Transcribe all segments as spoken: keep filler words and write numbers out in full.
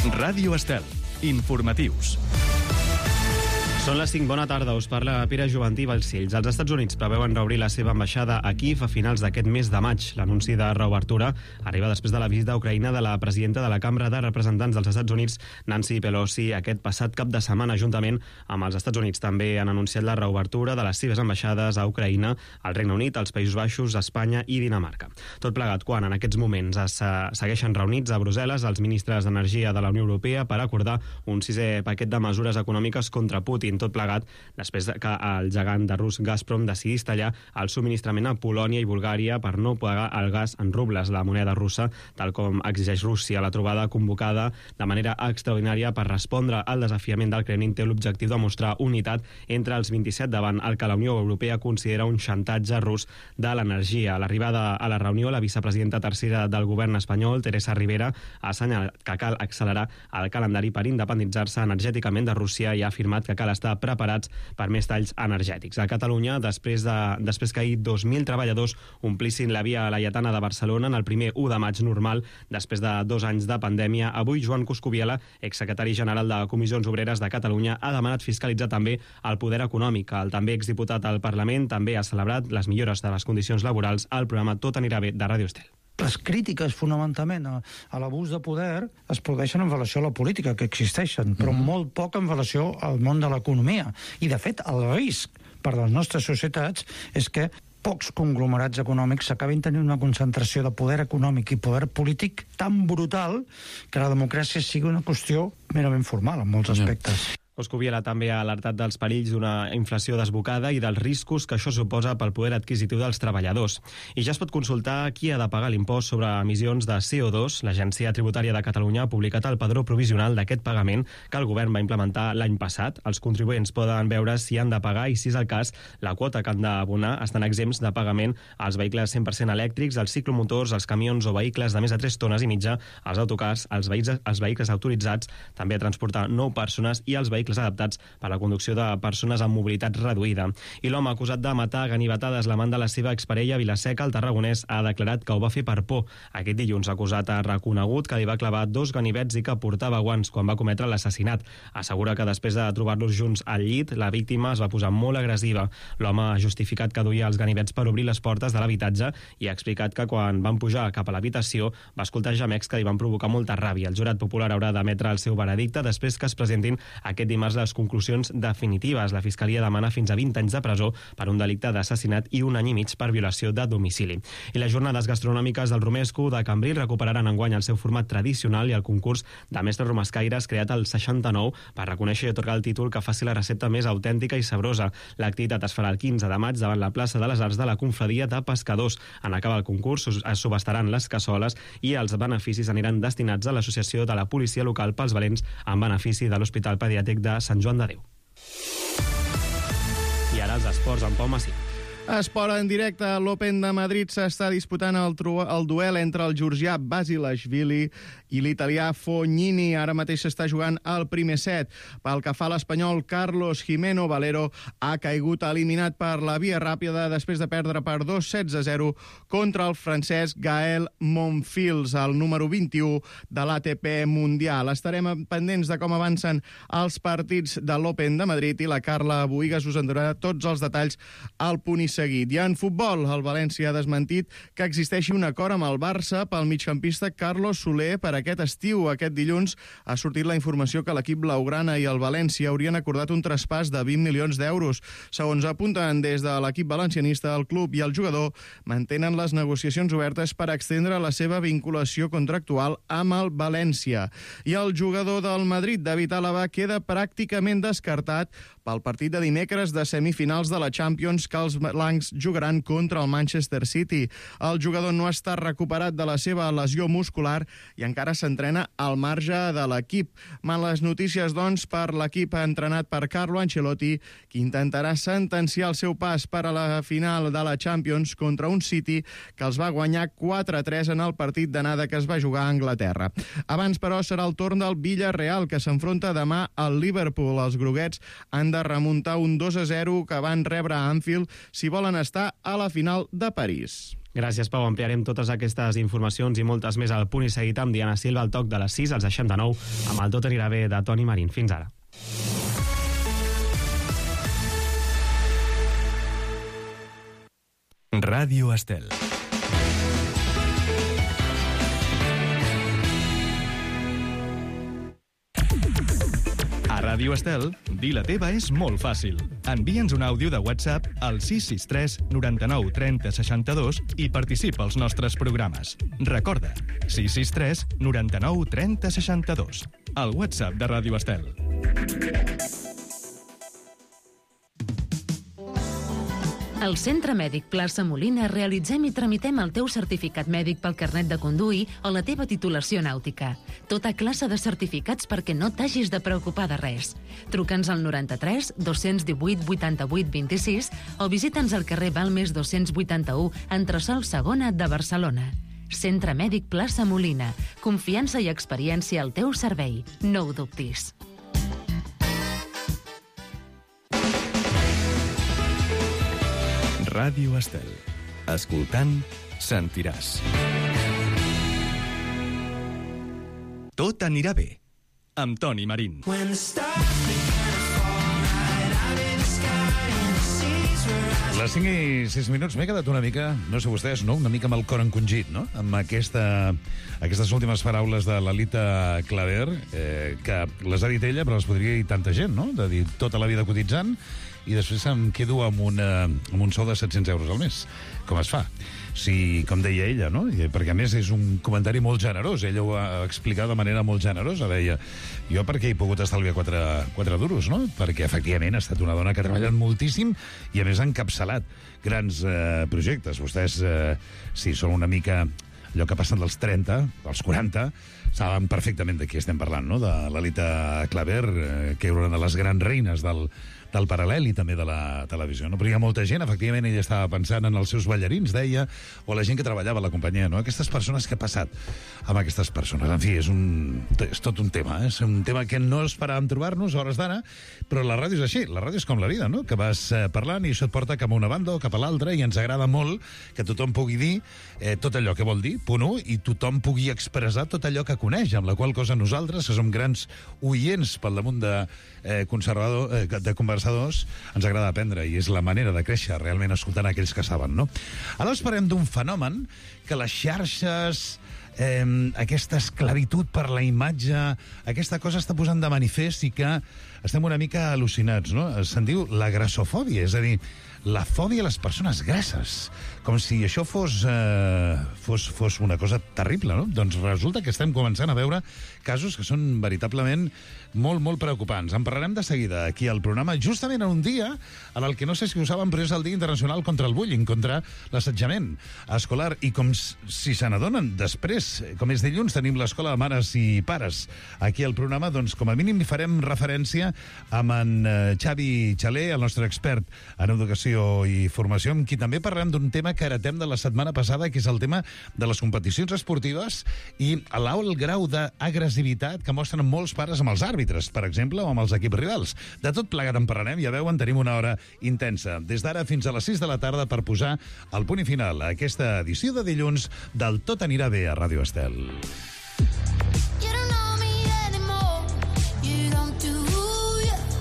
Ràdio Estel. Informatius. Són les cinc, bona tarda, us parla Pere Juvantí Balcells. Els Estats Units preveuen reobrir la seva ambaixada a Kíev a finals d'aquest mes de maig. L'anunci de reobertura arriba després de la visita a Ucraïna de la presidenta de la Cambra de Representants dels Estats Units, Nancy Pelosi, aquest passat cap de setmana. Juntament amb els Estats Units també han anunciat la reobertura de les seves ambaixades a Ucraïna, al Regne Unit, als Països Baixos, Espanya i Dinamarca. Tot plegat quan en aquests moments es segueixen reunits a Brussel·les els ministres d'Energia de la Unió Europea per acordar un sisè paquet de mesures econòmiques contra Putin. Tot plegat després que el gegant de rus Gazprom decidís tallar el subministrament a Polònia i Bulgària per no pagar el gas en rubles, la moneda russa, tal com exigeix Rússia. La trobada convocada de manera extraordinària per respondre al desafiament del Kremlin té l'objectiu de mostrar unitat entre els vint-i-set davant el que la Unió Europea considera un xantatge rus de l'energia. A l'arribada a la reunió, la vicepresidenta tercera del govern espanyol, Teresa Rivera, ha assenyalat que cal accelerar el calendari per independitzar-se energèticament de Rússia i ha afirmat que cal estar preparats per més talls energètics. A Catalunya, després, de, després que ahir dos mil treballadors omplissin la via Laietana de Barcelona en el primer u de maig normal, després de dos anys de pandèmia, avui Joan Coscubiela, exsecretari general de Comissions Obreres de Catalunya, ha demanat fiscalitzar també el poder econòmic. El també exdiputat al Parlament també ha celebrat les millores de les condicions laborals al programa Tot anirà bé de Ràdio Estel. Les crítiques, fonamentalment, a, a l'abús de poder es produeixen en relació a la política, que existeixen, però mm-hmm. molt poc en relació al món de l'economia. I, de fet, el risc per a les nostres societats és que pocs conglomerats econòmics s'acabin tenint una concentració de poder econòmic i poder polític tan brutal que la democràcia sigui una qüestió merament formal en molts aspectes. Mm. Coscubiela també ha alertat dels perills d'una inflació desbocada i dels riscos que això suposa pel poder adquisitiu dels treballadors. I ja es pot consultar qui ha de pagar l'impost sobre emissions de C O dos. L'Agència Tributària de Catalunya ha publicat el padró provisional d'aquest pagament que el govern va implementar l'any passat. Els contribuents poden veure si han de pagar i, si és el cas, la quota que han d'abonar. Estan exempts de pagament als vehicles cent per cent elèctrics, els ciclomotors, els camions o vehicles de més de tres tones i mitja, els autocars, els vehicles, els vehicles autoritzats també a transportar nou persones i els vehicles adaptats per la conducció de persones amb mobilitat reduïda. I l'home acusat de matar a ganivetades l'amant de la seva exparella a Vilaseca, el tarragonès, ha declarat que ho va fer per por. Aquest dilluns l'acusat ha reconegut que li va clavar dos ganivets i que portava guants quan va cometre l'assassinat. Assegura que després de trobar-los junts al llit, la víctima es va posar molt agressiva. L'home ha justificat que duia els ganivets per obrir les portes de l'habitatge i ha explicat que quan van pujar cap a l'habitació va escoltar gemecs que li van provocar molta ràbia. El jurat popular haurà d'emetre el seu veredicte després que es presentin aquest dimarts les conclusions definitives. La Fiscalia demana fins a vint anys de presó per un delicte d'assassinat i un any i mig per violació de domicili. I les jornades gastronòmiques del Romesco de Cambrils recuperaran enguany el seu format tradicional i el concurs de mestres romescaires creat al seixanta-nou per reconèixer i atorgar el títol que faci la recepta més autèntica i sabrosa. L'activitat es farà el quinze de maig davant la plaça de les Arts de la Confraria de Pescadors. En acabar el concurs es subhastaran les cassoles i els beneficis aniran destinats a l'Associació de la Policia Local pels Valents en benefici de l'Hospital Pediàtric de Sant Joan de Déu. I ara els esports amb Pau Massí. Esport en directe. L'Open de Madrid s'està disputant el, el duel entre el georgià Basilashvili i l'italià Fognini. Ara mateix s'està jugant el primer set. Pel que fa a l'espanyol, Carlos Jimeno Valero ha caigut eliminat per la via ràpida després de perdre per dos sets a zero contra el francès Gael Monfils, el número vint-i-u de l'A T P Mundial. Estarem pendents de com avancen els partits de l'Open de Madrid i la Carla Bohigas us en donarà tots els detalls al punt i seguit. I en futbol, el València ha desmentit que existeixi un acord amb el Barça pel migcampista Carlos Soler per aquest estiu. Aquest dilluns ha sortit la informació que l'equip blaugrana i el València haurien acordat un traspàs de vint milions d'euros. Segons apunten des de l'equip valencianista, el club i el jugador mantenen les negociacions obertes per extendre la seva vinculació contractual amb el València. I el jugador del Madrid, David Álava, queda pràcticament descartat pel partit de dimecres de semifinals de la Champions que els blancs jugaran contra el Manchester City. El jugador no està recuperat de la seva lesió muscular i encara s'entrena al marge de l'equip. Males notícies, doncs, per l'equip entrenat per Carlo Ancelotti, que intentarà sentenciar el seu pas per a la final de la Champions contra un City que els va guanyar quatre a tres en el partit d'anada que es va jugar a Anglaterra. Abans, però, serà el torn del Villarreal, que s'enfronta demà al Liverpool. Els groguets han de remuntar un dos a zero que van rebre a Anfield si volen estar a la final de París. Gràcies, Pau. Ampliarem totes aquestes informacions i moltes més al Punt i Seguit amb Diana Silva. Al toc de les sis, els deixem de nou amb el Tot anirà bé de Toni Marín. Fins ara. Ràdio Estel. A Ràdio Estel, dir la teva és molt fàcil. Envia'ns un àudio de WhatsApp al sis sis tres noranta-nou trenta seixanta-dos i participa als nostres programes. Recorda, sis sis tres noranta-nou trenta seixanta-dos. El WhatsApp de Ràdio Estel. Al Centre Mèdic Plaça Molina realitzem i tramitem el teu certificat mèdic pel carnet de conduir o la teva titulació nàutica. Tota classe de certificats perquè no t'hagis de preocupar de res. Truca'ns al noranta-tres dos-cents divuit vuitanta-vuit vint-i-sis o visita'ns al carrer Balmes dos-cents vuitanta-u, entresòl segona de Barcelona. Centre Mèdic Plaça Molina. Confiança i experiència al teu servei. No ho dubtis. Ràdio Estel. Escoltant, sentiràs. Tot anirà bé, amb Toni Marín. Les cinc i sis minuts m'he quedat una mica, no sé vostès, no? Una mica amb el cor encongit, no? Amb aquesta, aquestes últimes paraules de l'Alita Claver, eh, que les ha dit ella, però les podria dir tanta gent, no? De dir tota la vida cotitzant i després em quedo amb, una, amb un sou de set-cents euros al mes. Com es fa? Si, com deia ella, no? Perquè, a més, és un comentari molt generós. Ella ho ha explicat de manera molt generosa. Deia, jo perquè he pogut estalviar quatre, quatre duros, no? Perquè, efectivament, ha estat una dona que ha treballat moltíssim i, a més, ha encapçalat grans eh, projectes. Vostès, eh, si són una mica allò que passen dels trenta, als quaranta, saben perfectament de qui estem parlant, no? De l'Alita Claver, eh, que era una de les grans reines del del paral·lel i també de la televisió. No? Però hi ha molta gent, efectivament, ella estava pensant en els seus ballarins, deia, o la gent que treballava a la companyia, no? Aquestes persones, què ha passat amb aquestes persones? En fi, és, un, és tot un tema, eh? És un tema que no esperàvem trobar-nos a hores d'ara, però la ràdio és així, la ràdio és com la vida, no? Que vas eh, parlant i això et porta cap a una banda o cap a l'altra i ens agrada molt que tothom pugui dir eh, tot allò que vol dir, punt u, i tothom pugui expressar tot allò que coneix, amb la qual cosa nosaltres, que som grans oients pel damunt de eh, conservador, eh, de conversadors, ens agrada aprendre i és la manera de créixer realment escoltant aquells que saben, no? Aleshores parlem d'un fenomen que les xarxes, eh, aquesta esclavitud per la imatge, aquesta cosa està posant de manifest i que estem una mica al·lucinats, no? Se'n diu la grassofòbia, és a dir, la fòbia a les persones grasses, com si això fos, eh, fos, fos una cosa terrible, no? Doncs resulta que estem començant a veure casos que són veritablement molt, molt preocupants. En parlarem de seguida aquí al programa, justament en un dia en el que no sé si ho saben, però és el Dia Internacional contra el Bullying, contra l'assetjament escolar. I com si se n'adonen després, com és dilluns, tenim l'Escola de Mares i Pares aquí al programa, doncs com a mínim hi farem referència amb en Xavi Xaler, el nostre expert en educació i formació, amb qui també parlem d'un tema que heretem de la setmana passada, que és el tema de les competicions esportives i l'alt grau d'agressivitat que mostren molts pares amb els àrbitres, per exemple, o amb els equips rivals. De tot plegat en parlarem, ja veuen, tenim una hora intensa. Des d'ara fins a les sis de la tarda per posar el punt i final a aquesta edició de dilluns del Tot anirà bé a Ràdio Estel.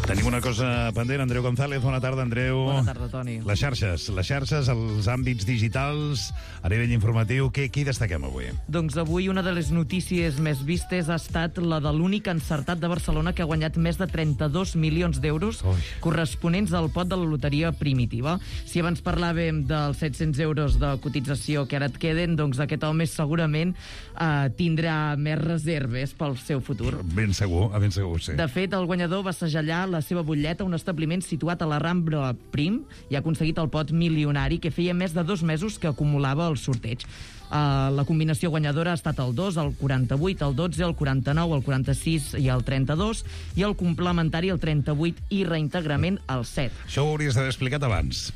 Tenim una cosa pendent, Andreu González. Bona tarda, Andreu. Bona tarda, Toni. Les xarxes, les xarxes, els àmbits digitals, a nivell informatiu, què, què hi destaquem avui? Doncs avui una de les notícies més vistes ha estat la de l'únic encertat de Barcelona que ha guanyat més de trenta-dos milions d'euros corresponents al pot de la loteria primitiva. Si abans parlàvem dels set-cents euros de cotització que ara et queden, doncs aquest home segurament eh, tindrà més reserves pel seu futur. Ben segur, ben segur, sí. De fet, el guanyador va segellar la seva butlleta a un establiment situat a la Rambla Prim i ha aconseguit el pot milionari que feia més de dos mesos que acumulava el sorteig. Uh, la combinació guanyadora ha estat el dos, el quaranta-vuit, el dotze, el quaranta-nou, el quaranta-sis i el trenta-dos i el complementari el trenta-vuit i reintegrament el set. Això ho hauries d'haver explicat abans.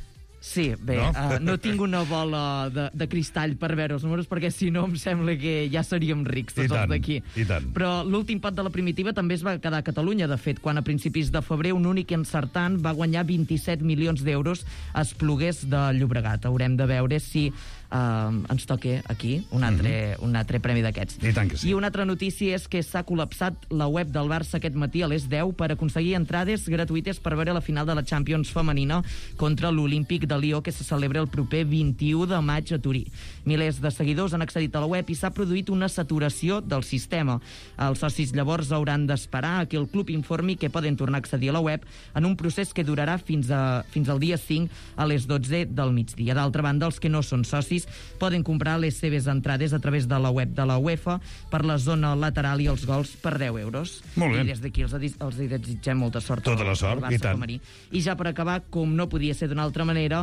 Sí, bé, no, uh, no tinc una bola de, de cristall per veure els números, perquè si no em sembla que ja seríem rics tots els d'aquí. I tant. Però l'últim pot de la Primitiva també es va quedar a Catalunya, de fet, quan a principis de febrer un únic encertant va guanyar vint-i-set milions d'euros a Espluguers de Llobregat. Haurem de veure si uh, ens toca aquí un altre, mm-hmm. un altre premi d'aquests. I tant que sí. I una altra notícia és que s'ha col·lapsat la web del Barça aquest matí a les deu per aconseguir entrades gratuïtes per veure la final de la Champions femenina contra l'Olímpic de Lió, que se celebra el proper vint-i-u de maig a Turí. Milers de seguidors han accedit a la web i s'ha produït una saturació del sistema. Els socis llavors hauran d'esperar a que el club informi que poden tornar a accedir a la web en un procés que durarà fins, a, fins al dia cinc a les dotze del migdia. D'altra banda, els que no són socis poden comprar les seves entrades a través de la web de la UEFA per la zona lateral i els gols per deu euros. Molt bé. I des d'aquí els, els desitgem molta sort. Tota la sort, al Barça i tant. femení. I ja per acabar, com no podia ser d'una altra manera,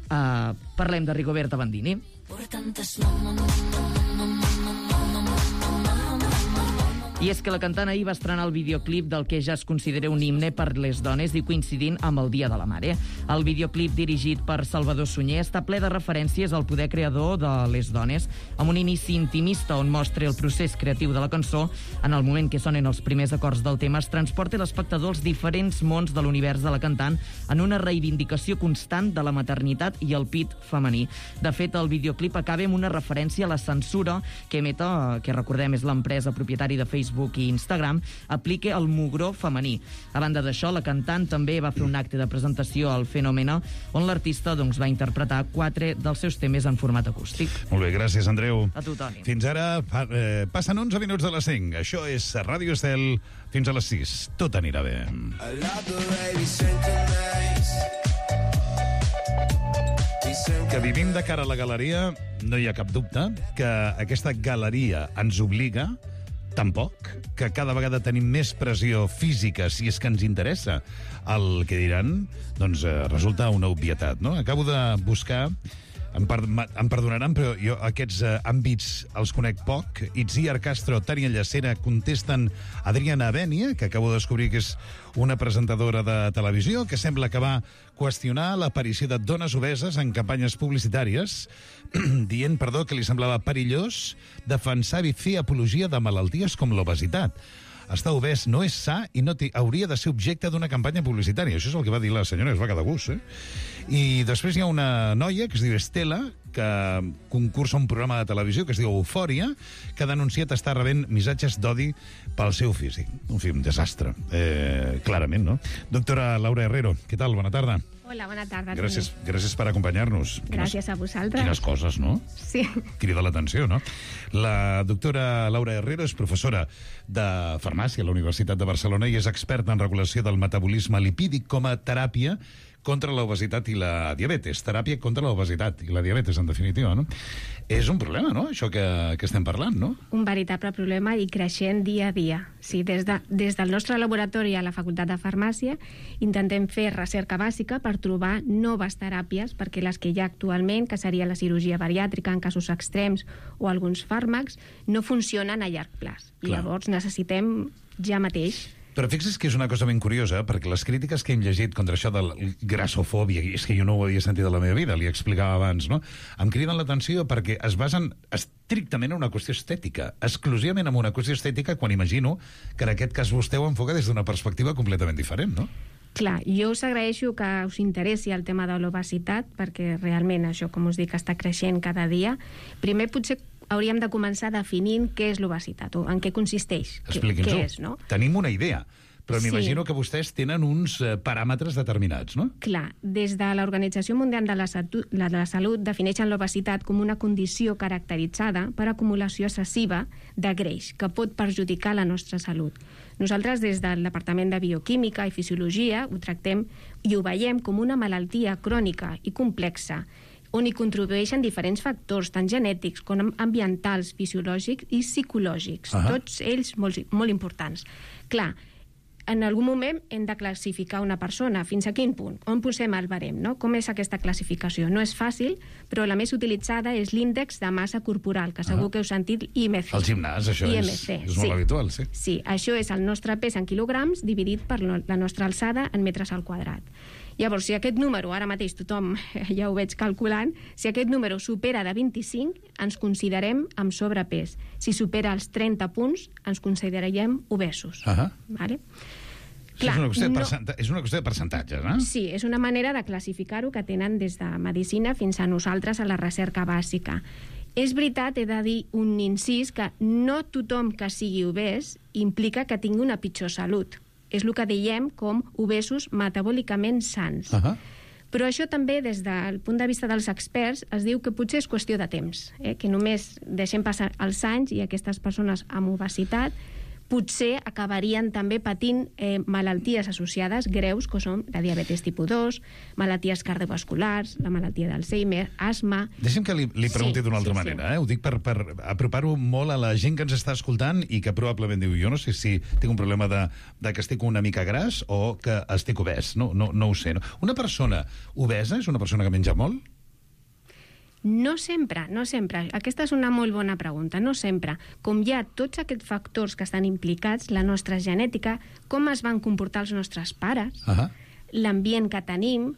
Uh, parlem de Rigoberta Bandini. I és que la cantant ahir va estrenar el videoclip del que ja es considera un himne per les dones i coincidint amb el Dia de la Mare. El videoclip, dirigit per Salvador Sunyer, està ple de referències al poder creador de les dones, amb un inici intimista on mostra el procés creatiu de la cançó. En el moment que sonen els primers acords del tema, es transporta l'espectador als diferents mons de l'univers de la cantant en una reivindicació constant de la maternitat i el pit femení. De fet, el videoclip acaba amb una referència a la censura que Meta, que recordem és l'empresa propietària de Facebook i Instagram, aplica el mugró femení. A banda d'això, la cantant també va fer un acte de presentació al Fenòmena, on l'artista doncs, va interpretar quatre dels seus temes en format acústic. Molt bé, gràcies, Andreu. A tu, Toni. Fins ara pa, eh, passen onze minuts de les cinc. Això és Ràdio Estel fins a les sis. Tot anirà bé. Que vivim de cara a la galeria, no hi ha cap dubte que aquesta galeria ens obliga, tampoc, que cada vegada tenim més pressió física, si és que ens interessa el que diran, doncs eh, resulta una obvietat, no? Acabo de buscar, em, per, em perdonaran, però jo aquests eh, àmbits els conec poc. Itziar Castro, Tània Llacera, contesten Adriana Bènia, que acabo de descobrir que és una presentadora de televisió, que sembla que va qüestionar l'aparició de dones obeses en campanyes publicitàries, dient, perdó, que li semblava perillós defensar i fer apologia de malalties com l'obesitat. Estar obès no és sa i no hauria de ser objecte d'una campanya publicitària. Això és el que va dir la senyora, es va quedar a gust, eh? I després hi ha una noia que es diu Estela, que concursa un programa de televisió que es diu Eufòria, que ha denunciat estar rebent missatges d'odi pel seu físic. En fi, un desastre, eh, clarament, no? Doctora Laura Herrero, què tal? Bona tarda. Hola, bona tarda. Gràcies, gràcies per acompanyar-nos. Gràcies quines, a vosaltres. Quines coses, no? Sí. Crida l'atenció, no? La doctora Laura Herrero és professora de farmàcia a la Universitat de Barcelona i és experta en regulació del metabolisme lipídic com a teràpia contra l'obesitat i la diabetes. Teràpia contra l'obesitat i la diabetes, en definitiva, no? És un problema, no?, això que, que estem parlant, no? Un veritable problema i creixent dia a dia. Sí, des, de, des del nostre laboratori a la Facultat de Farmàcia intentem fer recerca bàsica per trobar noves teràpies, perquè les que hi ha actualment, que seria la cirurgia bariàtrica en casos extrems o alguns fàrmacs, no funcionen a llarg plaç. I Clar. llavors necessitem ja mateix. Però fixa't que és una cosa ben curiosa, perquè les crítiques que hem llegit contra això de la grassofòbia, és que jo no ho havia sentit a la meva vida, li explicava abans, no? Em criden l'atenció perquè es basen estrictament en una qüestió estètica, exclusivament en una qüestió estètica, quan imagino que en aquest cas vostè ho enfoca des d'una perspectiva completament diferent, no? Clar, jo us agraeixo que us interessi el tema de l'obesitat, perquè realment això, com us dic, està creixent cada dia. Primer, potser hauríem de començar definint què és l'obesitat, o en què consisteix, Expliqui'ns-ho. què és, no? Tenim una idea, però Sí. m'imagino que vostès tenen uns eh, paràmetres determinats, no? Clar, des de l'Organització Mundial de la, Satu la, de la Salut defineixen l'obesitat com una condició caracteritzada per acumulació excessiva de greix que pot perjudicar la nostra salut. Nosaltres, des del Departament de Bioquímica i Fisiologia, ho tractem i ho veiem com una malaltia crònica i complexa, on hi contribueixen diferents factors, tant genètics com ambientals, fisiològics i psicològics, uh -huh. tots ells molt, molt importants. Clar, en algun moment hem de classificar una persona. Fins a quin punt? On posem el barem, no? Com és aquesta classificació? No és fàcil, però la més utilitzada és l'índex de massa corporal, que segur Ah. que heu sentit, I M C. Al gimnàs, això I M és, C, és molt sí. habitual, sí. Sí, això és el nostre pes en quilograms dividit per la nostra alçada en metres al quadrat. Llavors, si aquest número, ara mateix tothom ja ho veig calculant, si aquest número supera de vint-i-cinc, ens considerem amb sobrepès. Si supera els trenta punts, ens consideraríem obesos. Uh-huh. Vale? Clar, és, una qüestió de no... percenta... és una qüestió de percentatges, no? Sí, és una manera de classificar-ho que tenen des de medicina fins a nosaltres a la recerca bàsica. És veritat, he de dir un incís, que no tothom que sigui obès implica que tingui una pitjor salut. És el que diem com obesos metabòlicament sans. Uh-huh. Però això també, des del punt de vista dels experts, es diu que potser és qüestió de temps, eh? que només deixem passar els anys i aquestes persones amb obesitat potser acabarien també patint eh, malalties associades greus, que són la diabetes tipus dos, malalties cardiovasculars, la malaltia d'Alzheimer, asma... Deixa'm que li, li pregunti sí, d'una altra sí, manera. sí. Eh? Ho dic per, per apropar-ho molt a la gent que ens està escoltant i que probablement diu, jo no sé si tinc un problema de, de que estic una mica gras o que estic obès. No, no, no ho sé. No? Una persona obesa és una persona que menja molt? No sempre, no sempre. Aquesta és una molt bona pregunta. No sempre. Com hi ha tots aquests factors que estan implicats, la nostra genètica, com es van comportar els nostres pares, uh-huh. l'ambient que tenim,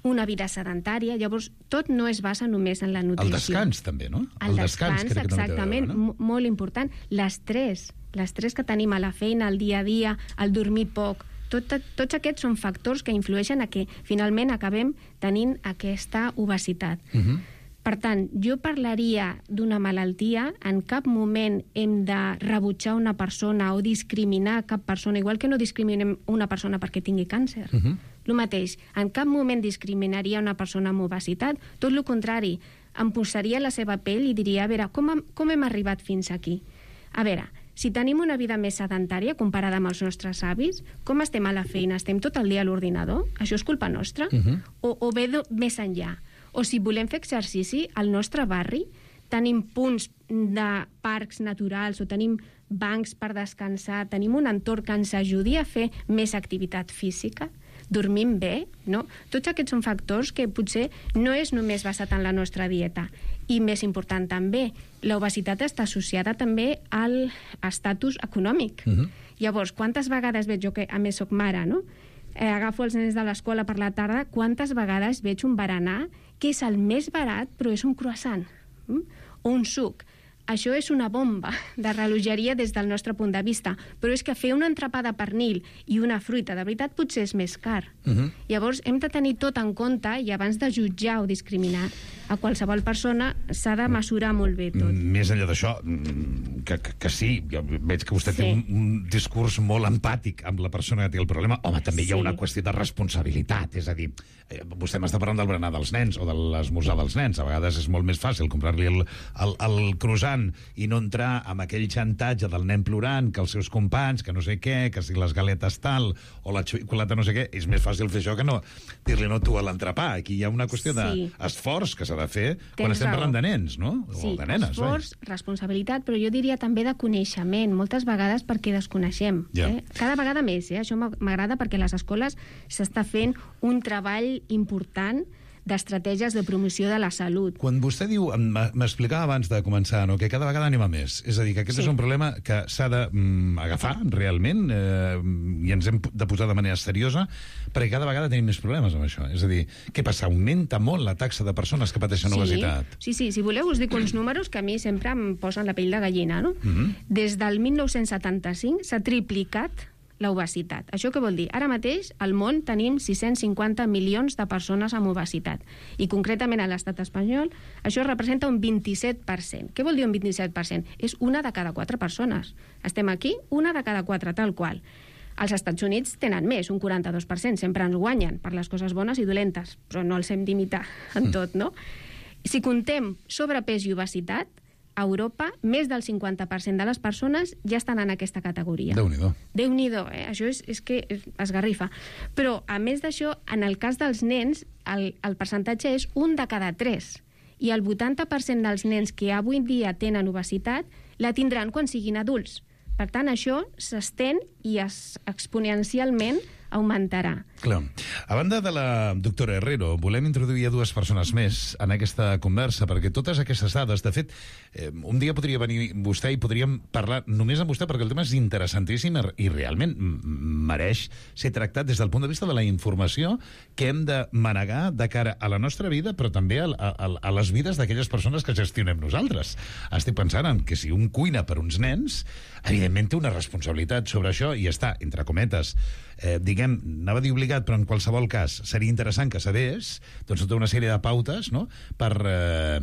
una vida sedentària, llavors tot no es basa només en la nutrició. El descans, també, no? El, el descans, descans crec que exactament, també té a veure, no? molt important. L'estrès, l'estrès que tenim a la feina, al dia a dia, el dormir poc, tot, tots aquests són factors que influeixen a que finalment acabem tenint aquesta obesitat. Uh-huh. Per tant, jo parlaria d'una malaltia, en cap moment hem de rebutjar una persona o discriminar cap persona, igual que no discriminem una persona perquè tingui càncer. Uh-huh. El mateix, en cap moment discriminaria una persona amb obesitat, tot el contrari, em posaria a la seva pell i diria, a veure, com, com hem arribat fins aquí? A veure, si tenim una vida més sedentària comparada amb els nostres avis, com estem a la feina? Estem tot el dia a l'ordinador? Això és culpa nostra? Uh-huh. O, o ve de, més enllà? O si volem fer exercici, al nostre barri tenim punts de parcs naturals o tenim bancs per descansar, tenim un entorn que ens ajudi a fer més activitat física, dormim bé, no? Tots aquests són factors que potser no és només basat en la nostra dieta. I més important també, l'obesitat està associada també al estatus econòmic. Uh-huh. Llavors, quantes vegades veig jo que, a més soc mare, no? Eh, agafo els nens de l'escola per la tarda, quantes vegades veig un berenar que és el més barat, però és un croissant, mm? o un suc. Això és una bomba de relogeria des del nostre punt de vista, però és que fer un entrepà de pernil i una fruita, de veritat, potser és més car. Uh-huh. Llavors, hem de tenir tot en compte i abans de jutjar o discriminar a qualsevol persona s'ha de mesurar molt bé tot. Més enllà d'això, que, que, que sí, jo veig que vostè sí. té un, un discurs molt empàtic amb la persona que té el problema. Home, també sí. hi ha una qüestió de responsabilitat, és a dir, eh, vostè m'està parlant del berenar dels nens o de l'esmorzar dels nens. A vegades és molt més fàcil comprar-li el, el, el croissant i no entrar amb aquell xantatge del nen plorant, que els seus companys, que no sé què, que si les galetes tal, o la xocolata no sé què, és més fàcil fer això que no dir-li no tu a l'entrepà. Aquí hi ha una qüestió sí. d'esforç que s'ha de fer Tens quan estem raó. parlant de nens, no? Sí, o de nenes. esforç, vai. responsabilitat, però jo diria també de coneixement, moltes vegades perquè desconeixem. Ja. Eh? Cada vegada més, eh? Això m'agrada perquè a les escoles s'està fent un treball important d'estratègies de promoció de la salut. Quan vostè diu, m'explicava abans de començar, no, que cada vegada anem a més, és a dir, que aquest sí. és un problema que s'ha d'agafar mm, realment eh, i ens hem de posar de manera seriosa, perquè cada vegada tenim més problemes amb això. És a dir, què passa? Augmenta molt la taxa de persones que pateixen sí. obesitat. Sí, sí, si voleu us dic uns números que a mi sempre em posen la pell de gallina, no? Mm-hmm. Des del mil nou-cents setanta-cinc s'ha triplicat la obesitat. Això què vol dir? Ara mateix al món tenim sis-cents cinquanta milions de persones amb obesitat i concretament a l'estat espanyol això representa un vint-i-set per cent. Què vol dir un vint-i-set per cent? És una de cada quatre persones. Estem aquí, una de cada quatre, tal qual. Els Estats Units tenen més, un quaranta-dos per cent. Sempre ens guanyen per les coses bones i dolentes, però no els hem d'imitar en tot, no? Si contem sobrepès i obesitat, a Europa, més del cinquanta per cent de les persones ja estan en aquesta categoria. Déu-n'hi-do. Déu-n'hi-do, eh? Això és, és que es garrifa. Però, a més d'això, en el cas dels nens, el, el percentatge és un de cada tres. I el vuitanta per cent dels nens que avui dia tenen obesitat la tindran quan siguin adults. Per tant, això s'estén i es, exponencialment augmentarà. Clar. A banda de la doctora Herrero, volem introduir a dues persones més en aquesta conversa, perquè totes aquestes dades, de fet, eh, un dia podria venir vostè i podríem parlar només amb vostè, perquè el tema és interessantíssim i realment mereix ser tractat des del punt de vista de la informació que hem de manegar de cara a la nostra vida, però també a, a, a les vides d'aquelles persones que gestionem nosaltres. Estic pensant en que si un cuina per uns nens, evidentment té una responsabilitat sobre això i està, entre cometes, eh, diguem, anava a dir obligat, però en qualsevol cas seria interessant que sabés doncs tota una sèrie de pautes, no?, per, eh,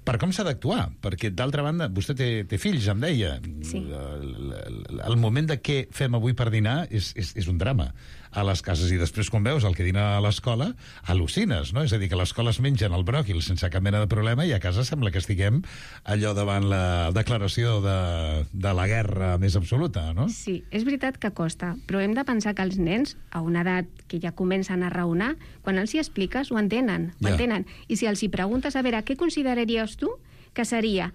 per com s'ha d'actuar, perquè d'altra banda vostè té, té fills, em deia. Sí. El, el, el moment de què fem avui per dinar és, és, és un drama a les cases, i després quan veus el que dina a l'escola al·lucines, no? És a dir, que a l'escola es mengen el bròquil sense cap mena de problema i a casa sembla que estiguem allò davant la declaració de, de la guerra més absoluta, no? Sí, és veritat que costa, però hem de pensar que els nens, a una edat que ja comencen a raonar, quan els hi expliques ho entenen, ho Ja. entenen. I si els hi preguntes, a veure, què consideraries tu que seria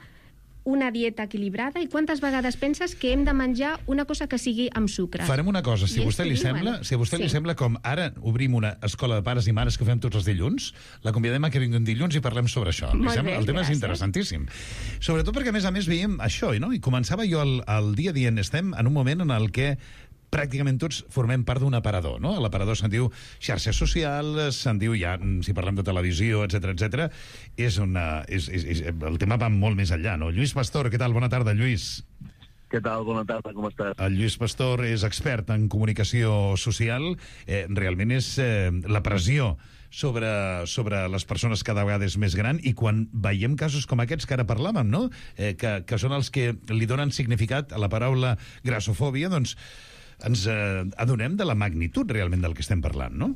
una dieta equilibrada i quantes vegades penses que hem de menjar una cosa que sigui amb sucre? Farem una cosa, si I a vostè li ells t'ho sembla, diuen. si a vostè Sí. li sembla, com ara obrim una escola de pares i mares que fem tots els dilluns, la convidem a que vingui un dilluns i parlem sobre això. Li Molt sembla? bé, El tema és gràcies. interessantíssim. Sobretot perquè, a més a més, veiem això, no? I començava jo el, el dia dient, estem en un moment en el que pràcticament tots formem part d'un aparador, no? L'aparador se'n diu xarxes socials, se'n diu ja, si parlem de televisió, etcètera, etcètera, és una, és, és, és, el tema va molt més enllà, no? Lluís Pastor, què tal? Bona tarda, Lluís. Què tal? Bona tarda, com estàs? El Lluís Pastor és expert en comunicació social. Eh, realment és eh, la pressió sobre, sobre les persones cada vegada és més gran, i quan veiem casos com aquests que ara parlàvem, no? Eh, que, que són els que li donen significat a la paraula grassofòbia, doncs ens eh, adonem de la magnitud realment del que estem parlant, no?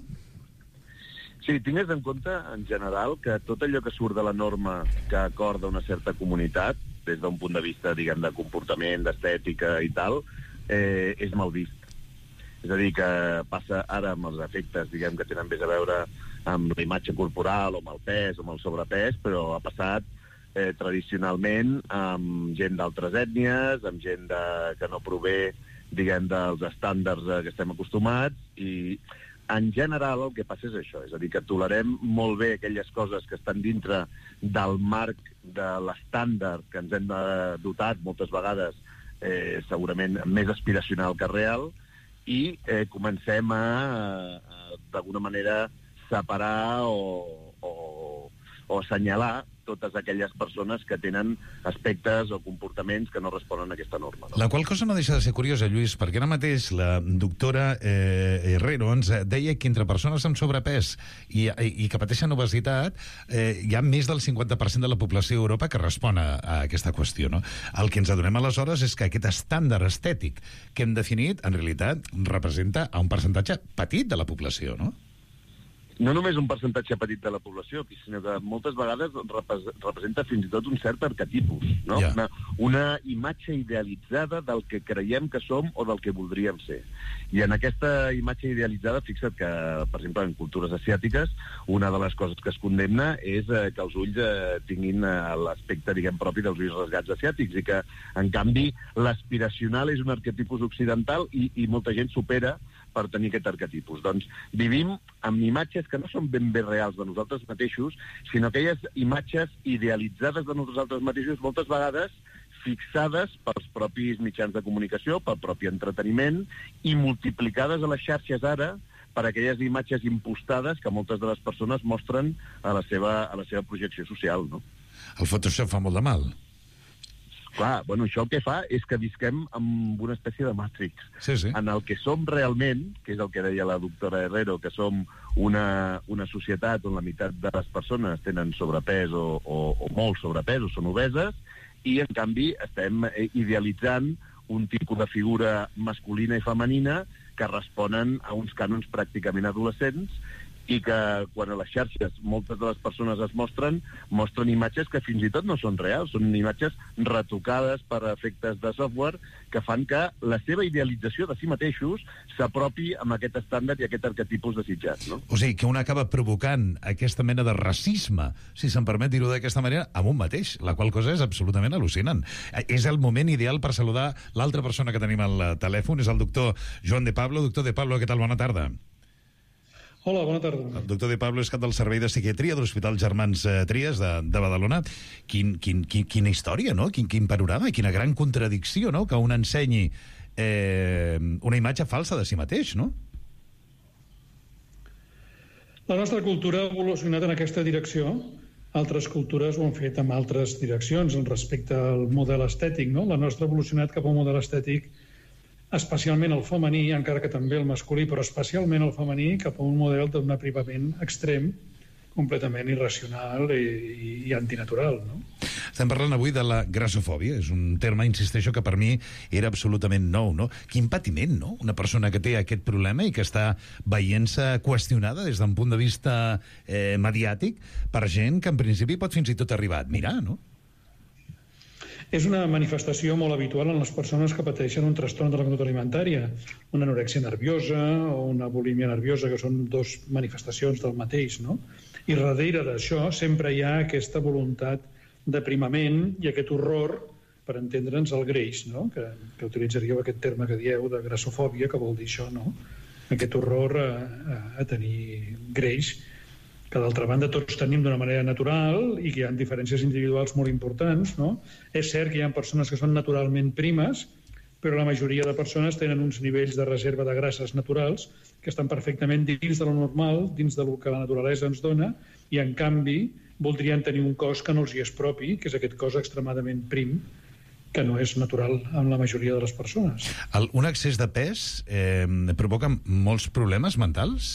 Sí, tingues en compte, en general, que tot allò que surt de la norma que acorda una certa comunitat, des d'un punt de vista, diguem, de comportament, d'estètica i tal, eh, és mal vist. És a dir, que passa ara amb els efectes, diguem, que tenen més a veure amb la imatge corporal, o amb el pes, o amb el sobrepès, però ha passat eh, tradicionalment amb gent d'altres ètnies, amb gent de, que no prové, diguem, dels estàndards a què estem acostumats, i en general el que passa és això, és a dir, que tolerem molt bé aquelles coses que estan dintre del marc de l'estàndard que ens hem dotat moltes vegades, eh, segurament més aspiracional que real, i eh, comencem a, a d'alguna manera, separar o, o, o assenyalar totes aquelles persones que tenen aspectes o comportaments que no responen a aquesta norma. No? La qual cosa no deixa de ser curiosa, Lluís, perquè ara mateix la doctora eh, Herrero ens deia que entre persones amb sobrepès i, i, i que pateixen obesitat eh, hi ha més del cinquanta per cent de la població a Europa que respon a, a aquesta qüestió, no? El que ens adonem aleshores és que aquest estàndard estètic que hem definit, en realitat, representa a un percentatge petit de la població, no? No només un percentatge petit de la població, sinó que moltes vegades representa fins i tot un cert arquetipus, no? Yeah. Una, una imatge idealitzada del que creiem que som o del que voldríem ser. I en aquesta imatge idealitzada, fixa't que, per exemple, en cultures asiàtiques, una de les coses que es condemna és eh, que els ulls eh, tinguin eh, l'aspecte, diguem, propi dels ulls rasgats asiàtics, i que, en canvi, l'aspiracional és un arquetipus occidental i, i molta gent supera per tenir aquest arquetipus. Doncs vivim amb imatges que no són ben bé reals de nosaltres mateixos, sinó aquelles imatges idealitzades de nosaltres mateixos, moltes vegades fixades pels propis mitjans de comunicació, pel propi entreteniment, i multiplicades a les xarxes ara per aquelles imatges impostades que moltes de les persones mostren a la seva, a la seva projecció social, no? El Photoshop fa molt de mal. Clar, bueno, això el que fa és que visquem amb una espècie de Matrix, Sí, sí. en el que som realment, que és el que deia la doctora Herrero, que som una, una societat on la meitat de les persones tenen sobrepès o, o, o molt sobrepès o són obeses, i en canvi estem idealitzant un tipus de figura masculina i femenina que responen a uns cànons pràcticament adolescents, i que quan a les xarxes moltes de les persones es mostren, mostren imatges que fins i tot no són reals, són imatges retocades per efectes de software que fan que la seva idealització de si mateixos s'apropi amb aquest estàndard i aquest arquetipus desitjat, no? O sigui, que un acaba provocant aquesta mena de racisme, si se'n permet dir-ho d'aquesta manera, amb un mateix, la qual cosa és absolutament al·lucinant. És el moment ideal per saludar l'altra persona que tenim al telèfon, és el doctor Joan de Pablo. Doctor de Pablo, què tal? Bona tarda. Hola, bona tarda. El doctor De Pablo és cap del Servei de Psiquiatria de l'Hospital Germans eh, Trias de, de Badalona. Quin, quin, quin, quina història, no? Quin, quin panorama, quina gran contradicció, no? Que un ensenyi eh, una imatge falsa de si mateix, no? La nostra cultura ha evolucionat en aquesta direcció. Altres cultures ho han fet en altres direccions respecte al model estètic, no? La nostra ha evolucionat cap a un model estètic especialment el femení, encara que també el masculí, però especialment el femení, cap a un model d'un aprimament extrem, completament irracional i, i, i antinatural, no? Estem parlant avui de la grassofòbia. És un terme, insisteixo, que per mi era absolutament nou, no? Quin patiment, no? Una persona que té aquest problema i que està veient-se qüestionada des d'un punt de vista eh, mediàtic per gent que en principi pot fins i tot arribar a admirar, no? És una manifestació molt habitual en les persones que pateixen un trastorn de la conducta alimentària, una anorèxia nerviosa o una bulímia nerviosa, que són dos manifestacions del mateix, no? I darrere d'això sempre hi ha aquesta voluntat d'aprimament i aquest horror, per entendre'ns, el greix, no? Que, que utilitzaríeu aquest terme que dieu de grassofòbia, que vol dir això, no? Aquest horror a, a, a tenir greix, que d'altra banda tots tenim d'una manera natural i que hi ha diferències individuals molt importants, no? És cert que hi ha persones que són naturalment primes, però la majoria de persones tenen uns nivells de reserva de grasses naturals que estan perfectament dins de lo normal, dins del que la naturalesa ens dona, i en canvi voldrien tenir un cos que no els hi és propi, que és aquest cos extremadament prim, que no és natural en la majoria de les persones. El, un excés de pes eh, provoca molts problemes mentals?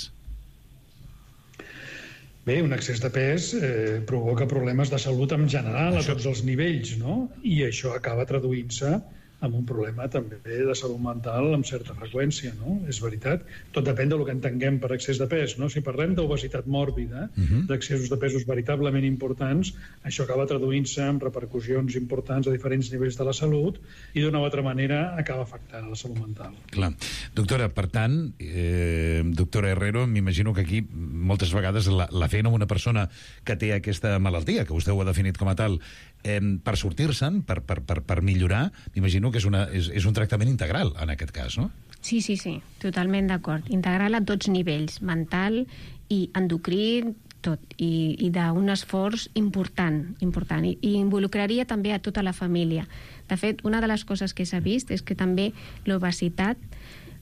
Bé, un excés de pes eh, provoca problemes de salut en general això... a tots els nivells, no? I això acaba traduint-se amb un problema també de salut mental amb certa freqüència, no? És veritat. Tot depèn del que entenguem per excés de pes, no? Si parlem d'obesitat mòrbida, uh-huh. d'excessos de pesos veritablement importants, això acaba traduint-se en repercussions importants a diferents nivells de la salut i d'una o altra manera acaba afectant a la salut mental. Clar. Doctora, per tant, eh, doctora Herrero, m'imagino que aquí moltes vegades la, la feina amb una persona que té aquesta malaltia, que vostè ho ha definit com a tal, eh, per sortir-se'n, per, per, per, per millorar, m'imagino que és, una, és, és un tractament integral, en aquest cas, no? Sí, sí, sí, totalment d'acord. Integral a tots nivells, mental i endocrí, tot, i, i d'un esforç important, important, i, i involucraria també a tota la família. De fet, una de les coses que s'ha vist és que també l'obesitat,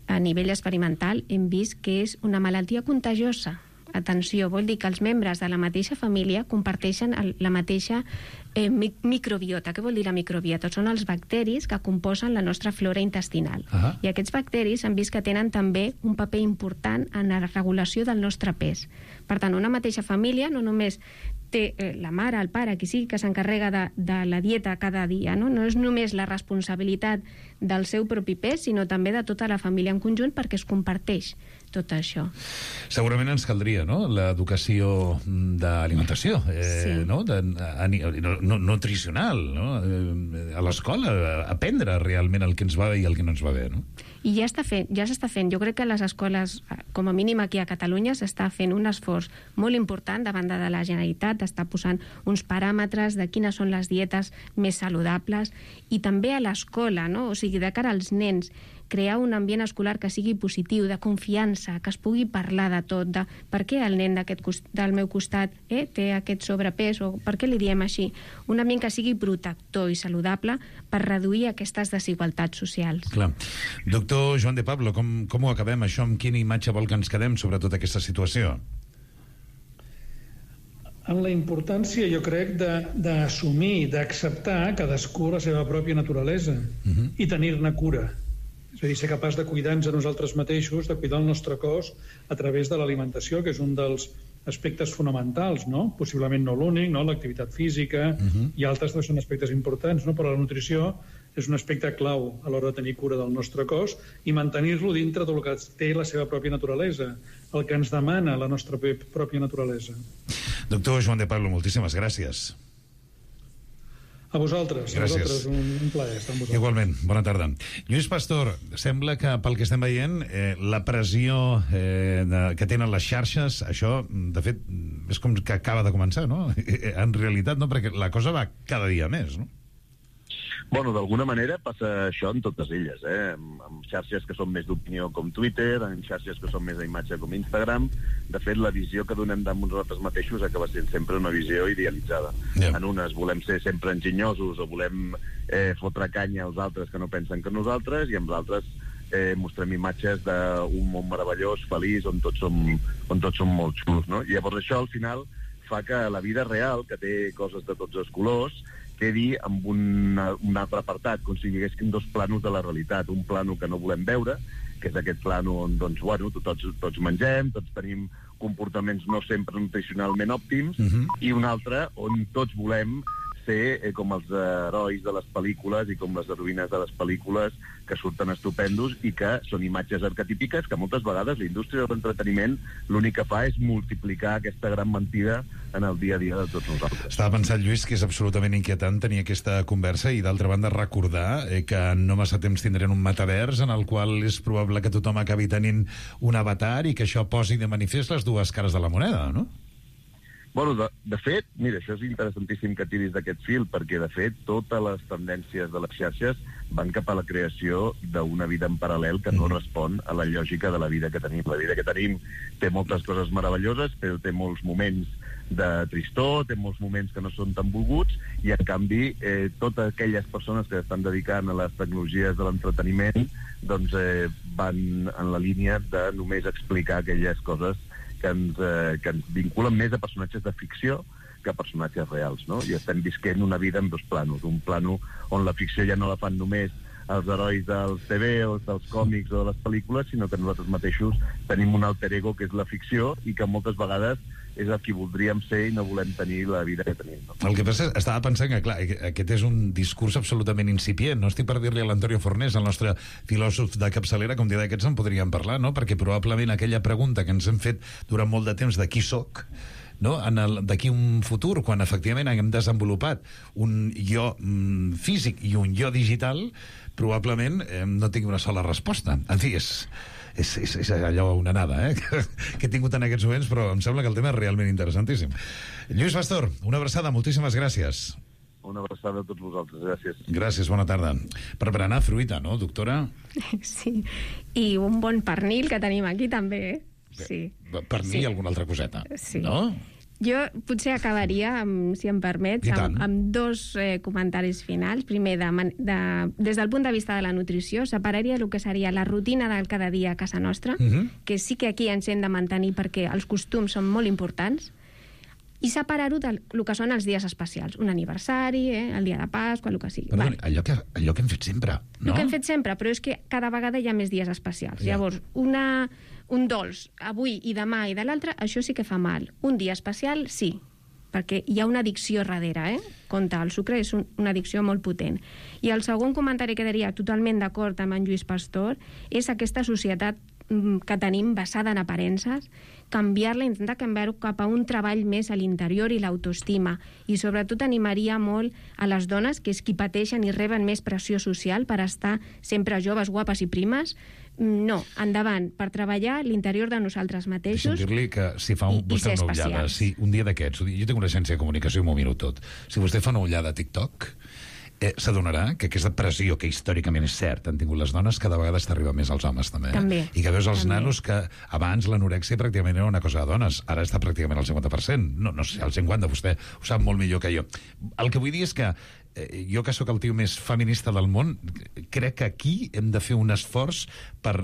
a nivell experimental, hem vist que és una malaltia contagiosa. Atenció, vol dir que els membres de la mateixa família comparteixen el, la mateixa eh, microbiota. Què vol dir la microbiota? Són els bacteris que composen la nostra flora intestinal. Uh-huh. I aquests bacteris han vist que tenen també un paper important en la regulació del nostre pes. Per tant, una mateixa família no només té eh, la mare, el pare, qui sigui que s'encarrega de, de la dieta cada dia, no? No és només la responsabilitat del seu propi pes, sinó també de tota la família en conjunt, perquè es comparteix tot això. Segurament ens caldria, no?, l'educació d'alimentació, eh, sí. no? De, a, no, no, nutricional, no? Eh, a l'escola, aprendre realment el que ens va bé i el que no ens va bé, no? I ja està fent, ja s'està fent. Jo crec que a les escoles, com a mínim aquí a Catalunya, s'està fent un esforç molt important davant de la Generalitat, està posant uns paràmetres de quines són les dietes més saludables, i també a l'escola, no? O sigui, de cara als nens, crear un ambient escolar que sigui positiu, de confiança, que es pugui parlar de tot, de per què el nen d'aquest del meu costat eh, té aquest sobrepès, o per què li diem així. Un ambient que sigui protector i saludable per reduir aquestes desigualtats socials. Clar. Doctor Joan De Pablo, com, com ho acabem això? Amb quina imatge vol que ens quedem sobre tota aquesta situació? En la importància, jo crec, d'assumir, d'acceptar cadascú la seva pròpia naturalesa uh-huh. i tenir-ne cura. És a dir, ser capaç de cuidar-nos a nosaltres mateixos, de cuidar el nostre cos a través de l'alimentació, que és un dels aspectes fonamentals, no? Possiblement no l'únic, no? L'activitat física uh-huh. i altres són aspectes importants, no? Però la nutrició és un aspecte clau a l'hora de tenir cura del nostre cos i mantenir-lo dintre del que té la seva pròpia naturalesa, el que ens demana la nostra pròpia naturalesa. Doctor Joan De Pablo, moltíssimes gràcies. A vosaltres, gràcies. A vosaltres, un, un plaer estar amb vosaltres. Igualment, bona tarda. Lluís Pastor, sembla que pel que estem veient, eh, la pressió eh, de, que tenen les xarxes, això, de fet, és com que acaba de començar, no? En realitat, no, perquè la cosa va cada dia més, no? Bueno, d'alguna manera passa això en totes elles, eh? Amb, amb xarxes que són més d'opinió com Twitter, en xarxes que són més d'imatge com Instagram. De fet, la visió que donem de nosaltres mateixos acaba sent sempre una visió idealitzada. Yeah. En unes volem ser sempre enginyosos o volem eh, fotre canya als altres que no pensen que nosaltres, i amb els altres eh, mostrem imatges d'un món meravellós, feliç, on tots som, on tots som molt xulos, no? I llavors això, al final, fa que la vida real, que té coses de tots els colors, quedi amb un, un altre apartat, com si hi haguessin dos planos de la realitat. Un plano que no volem veure, que és aquest plano on doncs, bueno, tots, tots mengem, tots tenim comportaments no sempre nutricionalment òptims, uh-huh. i un altre on tots volem ser eh, com els herois de les pel·lícules i com les heroïnes de les pel·lícules, que surten estupendos i que són imatges arquetípiques que moltes vegades la indústria de l'entreteniment l'únic que fa és multiplicar aquesta gran mentida en el dia a dia de tots nosaltres. Estava pensant, Lluís, que és absolutament inquietant tenir aquesta conversa i, d'altra banda, recordar eh, que no massa temps tindrem un metavers en el qual és probable que tothom acabi tenint un avatar i que això posi de manifest les dues cares de la moneda, no? Bueno, de, de fet, mira, això és interessantíssim que tiris d'aquest fil, perquè, de fet, totes les tendències de les xarxes van cap a la creació d'una vida en paral·lel que no respon a la lògica de la vida que tenim. La vida que tenim té moltes coses meravelloses, però té molts moments de tristor, té molts moments que no són tan volguts, i, en canvi, eh, totes aquelles persones que estan dedicant a les tecnologies de l'entreteniment doncs eh, van en la línia de només explicar aquelles coses que ens, eh, que ens vinculen més a personatges de ficció que a personatges reals, no? I estem visquent una vida en dos planos. Un plano on la ficció ja no la fan només els herois dels T V o dels còmics o de les pel·lícules, sinó que nosaltres mateixos tenim un alter ego que és la ficció i que moltes vegades és el que voldríem ser i no volem tenir la vida que tenim. No? El que passa, estava pensant que, clar, aquest és un discurs absolutament incipient. No estic per dir-li a l'Antonio Fornés, el nostre filòsof de capçalera, com dir d'aquests en podríem parlar, no? Perquè probablement aquella pregunta que ens hem fet durant molt de temps de qui soc, no? D'aquí un futur, quan efectivament haguem desenvolupat un jo mm, físic i un jo digital, probablement eh, no tingui una sola resposta. En fi, és... És, és, és allò una nada, eh? que, que he tingut en aquests moments, però em sembla que el tema és realment interessantíssim. Lluís Pastor, una abraçada, moltíssimes gràcies. Una abraçada a tots vosaltres, gràcies. Gràcies, bona tarda. Per berenar fruita, no, doctora? Sí, i un bon pernil que tenim aquí també, eh? Sí. Pernil i sí. Alguna altra coseta, sí. No? Jo potser acabaria, amb, si em permets, amb, amb dos eh, comentaris finals. Primer, de, de, des del punt de vista de la nutrició, separaria el que seria la rutina del cada dia a casa nostra, uh-huh. que sí que aquí ens hem de mantenir perquè els costums són molt importants, i separar-ho del que són els dies especials. Un aniversari, eh, el dia de Pasqua, el que sigui. Perdoni, allò, que, allò que hem fet sempre, no? El que hem fet sempre, però és que cada vegada hi ha més dies especials. Ja. Llavors, una... un dolç avui i demà i de l'altre, això sí que fa mal. Un dia especial, sí, perquè hi ha una addicció darrere, eh? Compte, el sucre és un, una addicció molt potent. I el segon comentari que diria totalment d'acord amb en Lluís Pastor és aquesta societat que tenim basada en aparences, canviar-la, intentar canviar-ho cap a un treball més a l'interior i l'autoestima. I sobretot animaria molt a les dones, que és qui pateixen i reben més pressió social per estar sempre joves, guapes i primes. No, endavant, per treballar l'interior de nosaltres mateixos. Deixa'm dir-li que si fa un, i, vostè i una ullada, si un dia d'aquests, jo tinc una agència de comunicació i m'ho miro tot, si vostè fa una ullada a TikTok, eh, s'adonarà que aquesta pressió que històricament és cert han tingut les dones, cada vegada t'arriba més als homes també, eh? també i que veus els també. nanos que abans l'anorèxia pràcticament era una cosa de dones, ara està pràcticament al cinquanta per cent, no, no sé, al cinquanta, vostè ho sap molt millor que jo. El que vull dir és que eh, jo que sóc el tio més feminista del món, crec que aquí hem de fer un esforç per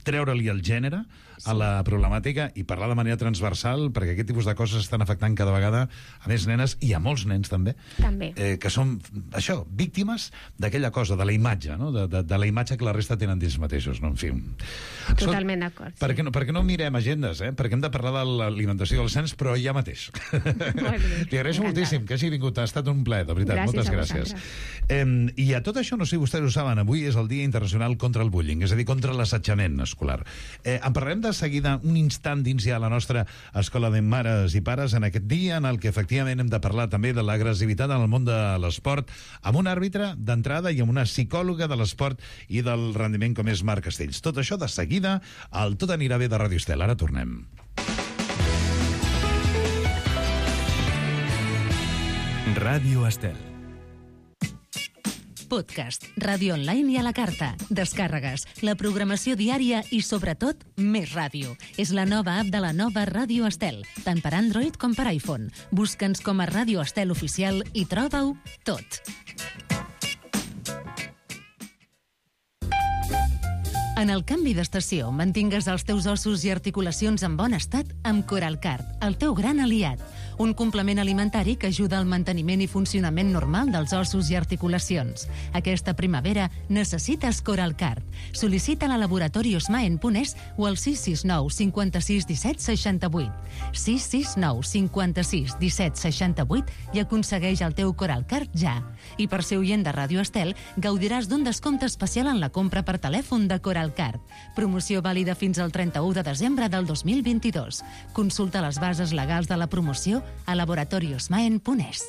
treure-li el gènere a la problemàtica i parlar de manera transversal, perquè aquest tipus de coses estan afectant cada vegada a més nenes i a molts nens també, també. Eh, que són, això, víctimes d'aquella cosa, de la imatge, no? de, de, de la imatge que la resta tenen dins mateixos, no? En fi. Totalment d'acord. Per, sí. no, per què no mirem agendes, eh? Perquè hem de parlar de l'alimentació dels nens, però ja mateix. T'hi agraeixo moltíssim que hagi vingut, ha estat un plaer, de veritat, gràcies moltes gràcies. Eh, I a tot això, no sé si vostès ho saben, avui és el Dia Internacional contra el Bullying, és a dir, contra l'assetjament escolar. Eh, en parlarem de seguida un instant dins ja la nostra escola de mares i pares en aquest dia en el que efectivament hem de parlar també de l'agressivitat en el món de l'esport amb un àrbitre d'entrada i amb una psicòloga de l'esport i del rendiment com és Marc Castells. Tot això de seguida al Tot anirà bé de Ràdio Estel. Ara tornem. Ràdio Estel. podcast, ràdio online i a la carta, descàrregues, la programació diària i, sobretot, més ràdio. És la nova app de la nova Ràdio Estel, tant per Android com per iPhone. Busca'ns com a Ràdio Estel Oficial i troba-ho tot. En el canvi d'estació, mantingues els teus ossos i articulacions en bon estat amb Coralcard, el teu gran aliat. Un complement alimentari que ajuda al manteniment i funcionament normal dels ossos i articulacions. Aquesta primavera necessites Coralcard. Sol·licita-la a Laboratori Osmaen punt es o al sis sis nou cinquanta-sis disset seixanta-vuit. sis sis nou cinquanta-sis disset seixanta-vuit i aconsegueix el teu Coralcard ja. I per ser oient de Ràdio Estel, gaudiràs d'un descompte especial en la compra per telèfon de Coralcard. Promoció vàlida fins al trenta-u de desembre del dos mil vint-i-dos. Consulta les bases legals de la promoció a Laboratori Osmaen punt es.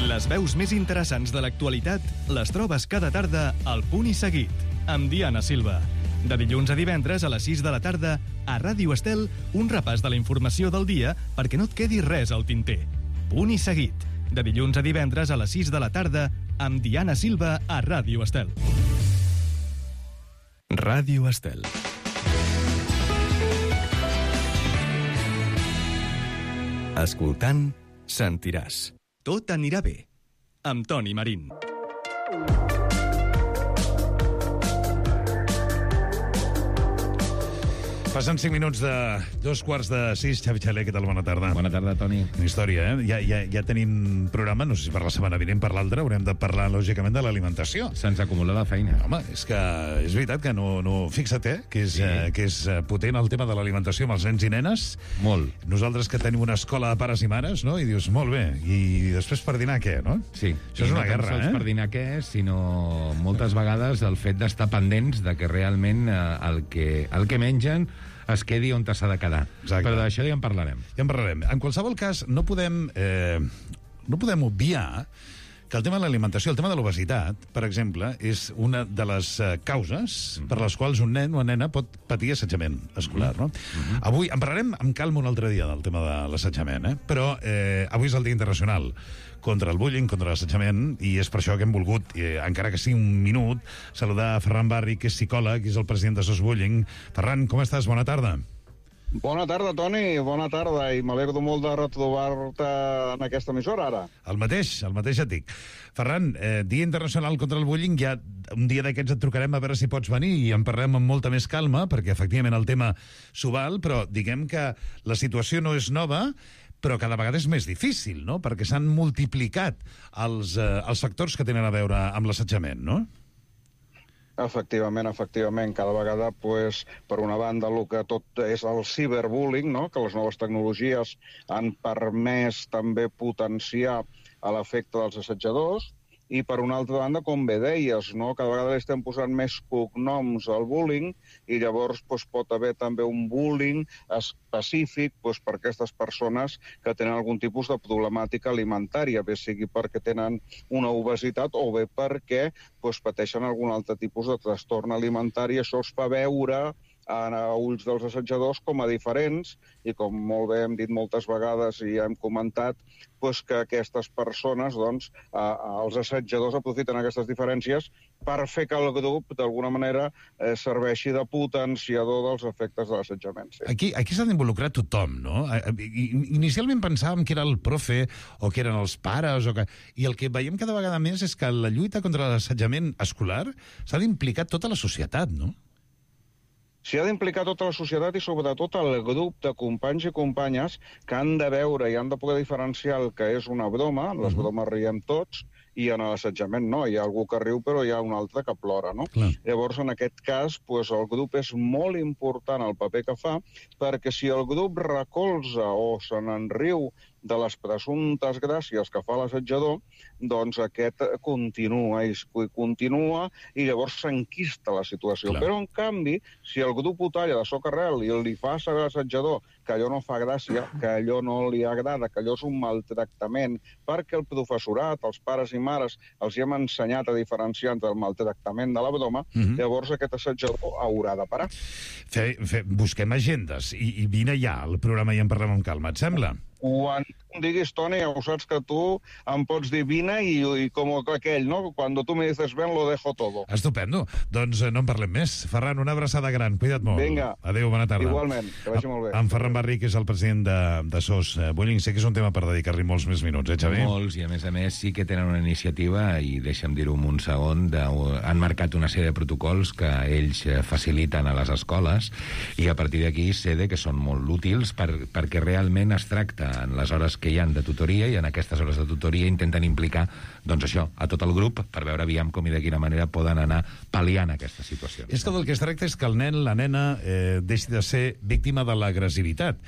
Les veus més interessants de l'actualitat les trobes cada tarda al Punt i Seguit, amb Diana Silva. De dilluns a divendres a les sis de la tarda, a Ràdio Estel, un repàs de la informació del dia perquè no et quedi res al tinter. Punt i Seguit, de dilluns a divendres a les sis de la tarda, amb Diana Silva a Ràdio Estel. Ràdio Estel. Escoltant, sentiràs. Tot anirà bé. Amb Toni Marín. Passen cinc minuts de dos quarts de sis. Xavi Xaler, què tal? Bona tarda. Bona tarda, Toni. Una història, eh? Ja, ja, ja tenim programa, no sé si per la setmana vinent, per l'altra, haurem de parlar, lògicament, de l'alimentació. Se'ns acumula la feina. Home, és que és veritat que no... no fixa't, eh? Que és, Sí. eh, que és eh, potent el tema de l'alimentació amb els nens i nenes. Molt. Nosaltres que tenim una escola de pares i mares, no? I dius, molt bé, i després per dinar què, no? Sí. Això és I una no tan guerra, sols eh? per dinar què, sinó moltes vegades el fet d'estar pendents de que realment eh, el, que, el que mengen es quedi on s'ha de quedar. Exacte. Però d'això ja en parlarem. Ja en parlarem. En qualsevol cas, no podem, eh, no podem obviar que el tema de l'alimentació, el tema de l'obesitat, per exemple, és una de les eh, causes mm -hmm. per les quals un nen o una nena pot patir assetjament escolar, no? Mm -hmm. Avui en parlarem amb calma un altre dia del tema de l'assetjament, eh? Però eh, avui és el Dia Internacional contra el bullying, contra l'assetjament, i és per això que hem volgut, eh, encara que sigui un minut, saludar a Ferran Barri, que és psicòleg, que és el president de SOS Bullying. Ferran, com estàs? Bona tarda. Bona tarda, Toni, bona tarda, i m'alegro molt de retrobar-te en aquesta emissora, ara. El mateix, el mateix et dic. Ferran, eh, Dia Internacional contra el Bullying, ja un dia d'aquests et trucarem a veure si pots venir i en parlem amb molta més calma, perquè efectivament el tema s'ho val, però diguem que la situació no és nova, però cada vegada és més difícil, no?, perquè s'han multiplicat els, eh, els factors que tenen a veure amb l'assetjament, no? Efectivament, efectivament. Cada vegada, pues, per una banda, el que tot és el ciberbullying, no?, que les noves tecnologies han permès també potenciar l'efecte dels assetjadors, i per una altra banda, com bé deies, no?, cada vegada li estem posant més cognoms al bullying, i llavors pues, pot haver també un bullying específic pues, per aquestes persones que tenen algun tipus de problemàtica alimentària, bé sigui perquè tenen una obesitat o bé perquè pues, pateixen algun altre tipus de trastorn alimentari. Això es fa veure a ulls dels assetjadors com a diferents, i com molt bé hem dit moltes vegades i hem comentat, doncs que aquestes persones, doncs, eh, els assetjadors aprofiten aquestes diferències per fer que el grup, d'alguna manera, eh, serveixi de potenciador dels efectes de l'assetjament. Sí. Aquí, aquí s'ha d'involucrar tothom, no? Inicialment pensàvem que era el profe o que eren els pares, o que... i el que veiem cada vegada més és que la lluita contra l'assetjament escolar s'ha d'implicar tota la societat, no? S'hi ha d'implicar tota la societat i sobretot el grup de companys i companyes que han de veure i han de poder diferenciar el que és una broma, les bromes riem tots, i en l'assetjament no, hi ha algú que riu però hi ha un altre que plora, no? Clar. Llavors, en aquest cas, pues, el grup és molt important el paper que fa, perquè si el grup recolza o se n'enriu de les presumptes gràcies que fa l'assetjador, doncs aquest continua i continua i llavors s'enquista la situació. Clar. Però, en canvi, si el grup ho talla de socarrel i li fa a l'assetjador que allò no fa gràcia, que allò no li agrada, que allò és un maltractament, perquè el professorat, els pares i mares, els hi hem ensenyat a diferenciar entre el maltractament de la broma, Mhm. llavors aquest assetjador haurà de parar. Fe, fe, busquem agendes i, i vine ja al programa i en parlem amb calma, et sembla? Quan, em diguis, Toni, ho saps que tu em pots dir vine i, i com aquell, no? Cuando tu me dices ven, lo dejo todo. Estupendo. Doncs eh, no en parlem més. Ferran, una abraçada gran. Cuida't molt. Vinga. Adéu, bona tarda. Igualment, que vagi molt bé. En Ferran Barri, que és el president de, de S O S eh, Vueling, sé que és un tema per dedicar-li molts més minuts, eh, Xavi? Molts, i a més a més sí que tenen una iniciativa, i deixa'm dir-ho en un segon, de, han marcat una sèrie de protocols que ells faciliten a les escoles, i a partir d'aquí sé que són molt útils per, perquè realment es tracta en les hores que hi han de tutoria, i en aquestes hores de tutoria intenten implicar, doncs això, a tot el grup, per veure aviam com i de quina manera poden anar pal·liant aquesta situació. És que del que es tracta és que el nen, la nena, eh, deixi de ser víctima de l'agressivitat.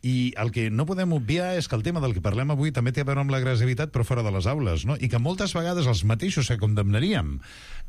I el que no podem obviar és que el tema del que parlem avui també té a veure amb l'agressivitat, però fora de les aules, no? I que moltes vegades els mateixos que condemnaríem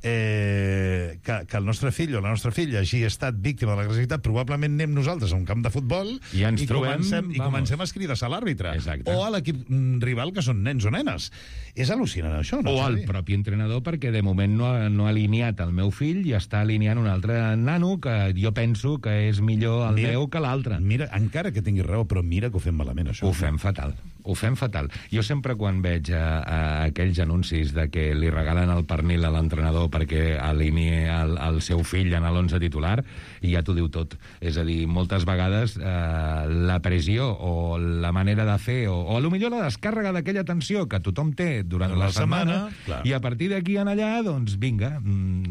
eh, que, que el nostre fill o la nostra filla hagi estat víctima de l'agressivitat, probablement anem nosaltres a un camp de futbol i, ens i, trobem, comencem, i comencem a escridar a l'àrbitre. Exacte. O a l'equip rival, que són nens o nenes. És al·lucinant, això, no? O al propi entrenador, perquè de moment no ha, no ha alineat el meu fill i està alineant un altre nano que jo penso que és millor el mira, meu que l'altre. Mira, encara que tinguis raó, però mira que ho fem malament, això. Ho fem fatal. Ho fem fatal. Jo sempre quan veig a, a aquells anuncis de que li regalen el pernil a l'entrenador perquè alinei el, el seu fill en l'onze titular, i ja t'ho diu tot. És a dir, moltes vegades eh, la pressió o la manera de fer, o, o potser la descàrrega d'aquella tensió que tothom té durant la, la setmana, setmana i a partir d'aquí en allà, doncs vinga,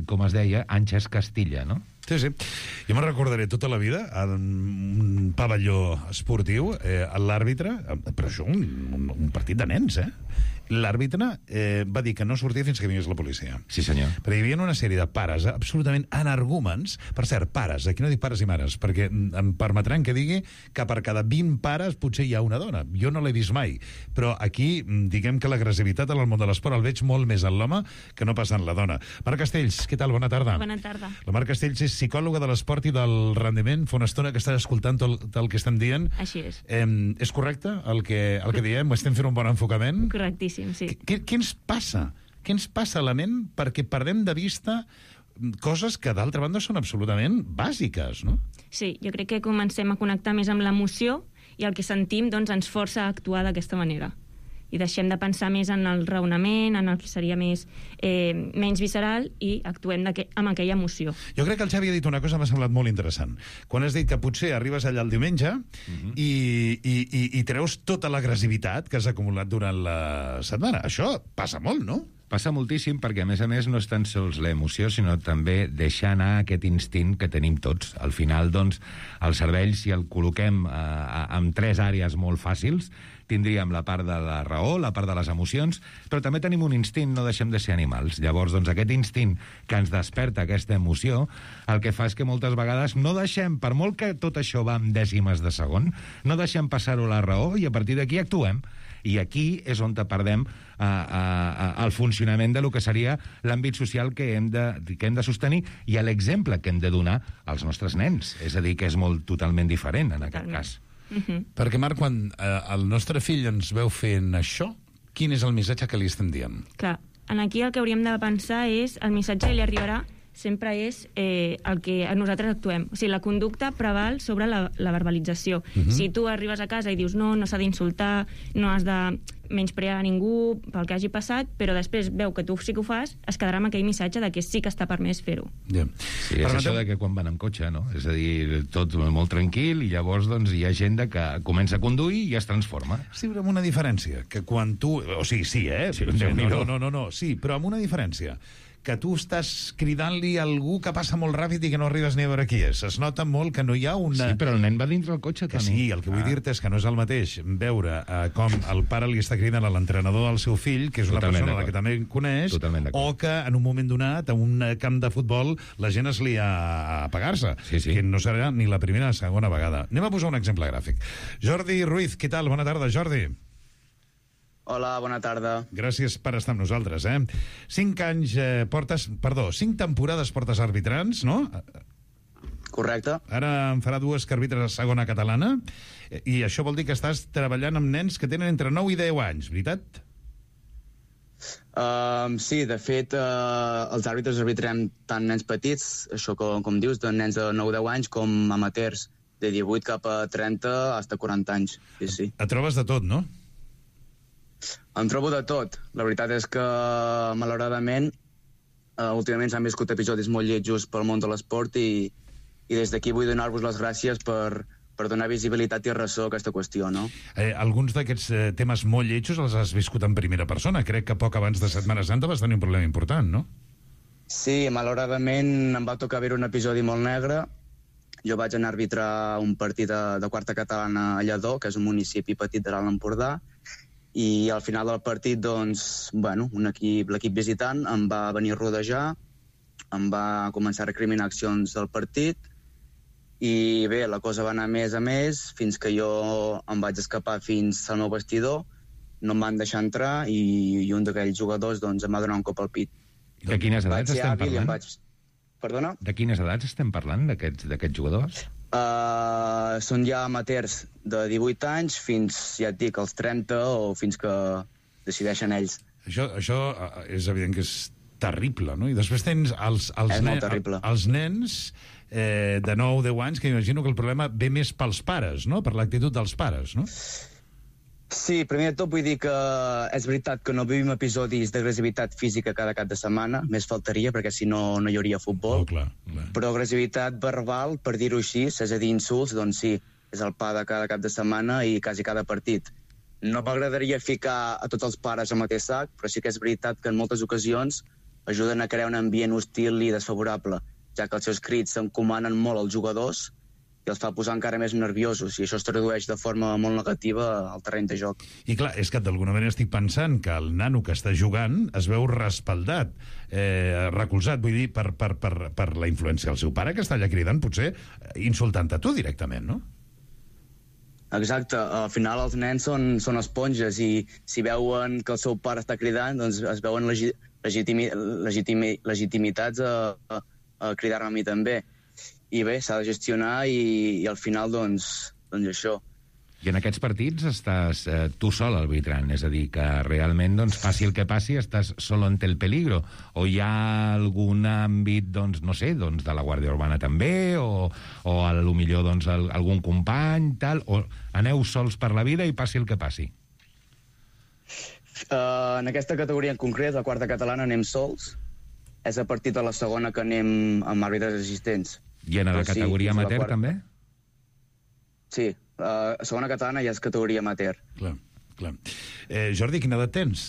com es deia, Anxes Castilla, no? Sí, sí. Jo me'n recordaré tota la vida en un pavelló esportiu, eh, l'àrbitre, però això un, un, un partit de nens, eh? L'àrbitre eh, va dir que no sortia fins que vingués la policia. Sí, senyor. Perquè hi havia una sèrie de pares absolutament energúmens, per cert, pares, aquí no dic pares i mares, perquè em permetran que digui que per cada vint pares potser hi ha una dona. Jo no l'he vist mai, però aquí diguem que l'agressivitat en el món de l'esport el veig molt més en l'home que no pas en la dona. Marc Castells, què tal? Bona tarda. Bona tarda. La Marc Castells és psicòloga de l'esport i del rendiment. Fa una estona que estàs escoltant tot, tot el que estem dient. Així és. Eh, és correcte el que, el que diem? Estem fent un bon enfocament? Correctíssim. Sí. Què, què ens passa? Què ens passa a la ment perquè perdem de vista coses que, d'altra banda, són absolutament bàsiques, no? Sí, jo crec que comencem a connectar més amb l'emoció i el que sentim doncs, ens força a actuar d'aquesta manera. I deixem de pensar més en el raonament, en el que seria més, eh, menys visceral, i actuem amb aquella emoció. Jo crec que el Xavi ha dit una cosa que m'ha semblat molt interessant. Quan has dit que potser arribes allà el diumenge uh-huh. i, i, i, i treus tota l'agressivitat que has acumulat durant la setmana. Això passa molt, no? Passa moltíssim perquè, a més a més, no és tan sols l'emoció, sinó també deixar anar aquest instint que tenim tots. Al final, doncs, el cervell, si el col·loquem eh, en tres àrees molt fàcils, tindríem la part de la raó, la part de les emocions, però també tenim un instint, no deixem de ser animals. Llavors, doncs, aquest instint que ens desperta aquesta emoció, el que fa és que moltes vegades no deixem, per molt que tot això va en dècimes de segon, no deixem passar-ho la raó i a partir d'aquí actuem. I aquí és on perdem uh, uh, uh, el funcionament de lo que seria l'àmbit social que hem, de, que hem de sostenir i l'exemple que hem de donar als nostres nens. És a dir, que és molt totalment diferent en aquest cas. Uh-huh. Perquè, Marc, quan eh, el nostre fill ens veu fent això, quin és el missatge que li estem dient? Clar, aquí el que hauríem de pensar és el missatge que li arribarà sempre és eh, el que nosaltres actuem. O sigui, la conducta preval sobre la, la verbalització. Uh-huh. Si tu arribes a casa i dius no, no s'ha d'insultar, no has de menysprear a ningú pel que hagi passat, però després veu que tu sí que ho fas, es quedarà amb aquell missatge de que sí que està permès fer-ho. Yeah. Sí, és Permetem... això de que quan van en cotxe, no? És a dir, tot molt tranquil i llavors doncs, hi ha gent que comença a conduir i es transforma. Sí, però amb una diferència, que quan tu... O sigui, sí, eh? Sí, no, no, no, no, no, sí, però amb una diferència. Que tu estàs cridant-li a algú que passa molt ràpid i que no arribes ni a veure qui és. Es nota molt que no hi ha una... Sí, però el nen va dintre el cotxe, que Toni. Sí, el que vull ah. dir-te és que no és el mateix veure eh, com el pare li està cridant a l'entrenador del seu fill, que és una Totalment persona a la que també coneix, o que en un moment donat, a un camp de futbol, la gent es lia a apagar-se, sí, sí. que no serà ni la primera ni la segona vegada. Anem a posar un exemple gràfic. Jordi Ruiz, què tal? Bona tarda, Jordi. Hola, bona tarda. Gràcies per estar amb nosaltres, eh? Cinc anys eh, portes... Perdó, cinc temporades portes arbitrants, no? Correcte. Ara en farà dues que arbitres a segona catalana, i això vol dir que estàs treballant amb nens que tenen entre nou i deu anys, veritat? Uh, sí, de fet, uh, els àrbitres arbitrem tant nens petits, això com, com dius, de nens de nou a deu anys, com amateurs, de divuit cap a trenta fins a quaranta anys. Sí, sí. Et trobes de tot, no? Em trobo de tot. La veritat és que, malauradament, uh, últimament s'han viscut episodis molt lletjos pel món de l'esport i, i des d'aquí vull donar-vos les gràcies per, per donar visibilitat i ressò a aquesta qüestió, no? Eh, alguns d'aquests eh, temes molt lletjos els has viscut en primera persona. Crec que poc abans de Setmana Santa vas tenir un problema important, no? Sí, malauradament em va tocar veure un episodi molt negre. Jo vaig anar a arbitrar un partit de, de quarta catalana a Lledó, que és un municipi petit de l'Alt Empordà, i al final del partit, doncs, bueno, un equip, l'equip visitant em va venir a rodejar, em va començar a recriminar accions del partit, i bé, la cosa va anar més a més, fins que jo em vaig escapar fins al meu vestidor, no em van deixar entrar, i, i un d'aquells jugadors doncs, em va donar un cop al pit. De quines edats estem parlant? Vaig... Perdona? De quines edats estem parlant, d'aquests d'aquests jugadors? Uh, són ja amateurs de divuit anys fins, ja et dic, als trenta o fins que decideixen ells. Això, això és evident que és terrible, no? I després tens els, els, és nen, molt terrible. els nens eh, de nou o deu anys, que imagino que el problema ve més pels pares, no? Per l'actitud dels pares, no? Sí, primer de tot vull dir que és veritat que no vivim episodis d'agressivitat física cada cap de setmana, més faltaria, perquè si no, no hi hauria futbol. Oh, clar, clar. Però agressivitat verbal, per dir-ho així, és a dir, insults, doncs sí, és el pa de cada cap de setmana i quasi cada partit. No m'agradaria ficar a tots els pares al mateix sac, però sí que és veritat que en moltes ocasions ajuden a crear un ambient hostil i desfavorable, ja que els seus crits encomanen molt als jugadors i els fa posar encara més nerviosos, i això es tradueix de forma molt negativa al terreny de joc. I clar, és que d'alguna manera estic pensant que el nano que està jugant es veu respaldat, eh, recolzat, vull dir, per, per, per, per la influència del seu pare, que està allà cridant, potser insultant a tu directament, no? Exacte, al final els nens són, són esponges, i si veuen que el seu pare està cridant, doncs es veuen legi legitimi legitimi legitimitats a, a, a cridar-me a mi també. I bé, s'ha de gestionar i, i al final, doncs, doncs això. I en aquests partits estàs eh, tu sol arbitrant, és a dir, que realment, doncs, passi el que passi, estàs sol ante el peligro, o hi ha algun àmbit, doncs, no sé, doncs, de la Guàrdia Urbana també, o, o a lo millor, doncs, el, algun company, tal, o aneu sols per la vida i passi el que passi? Uh, en aquesta categoria en concret, la quarta catalana, anem sols. És a partir de la segona que anem amb àrbitres assistents. I en la Però categoria sí, amateur, també? Sí, la uh, segona catalana ja és categoria amateur. Clar, clar. Eh, Jordi, quina edat tens?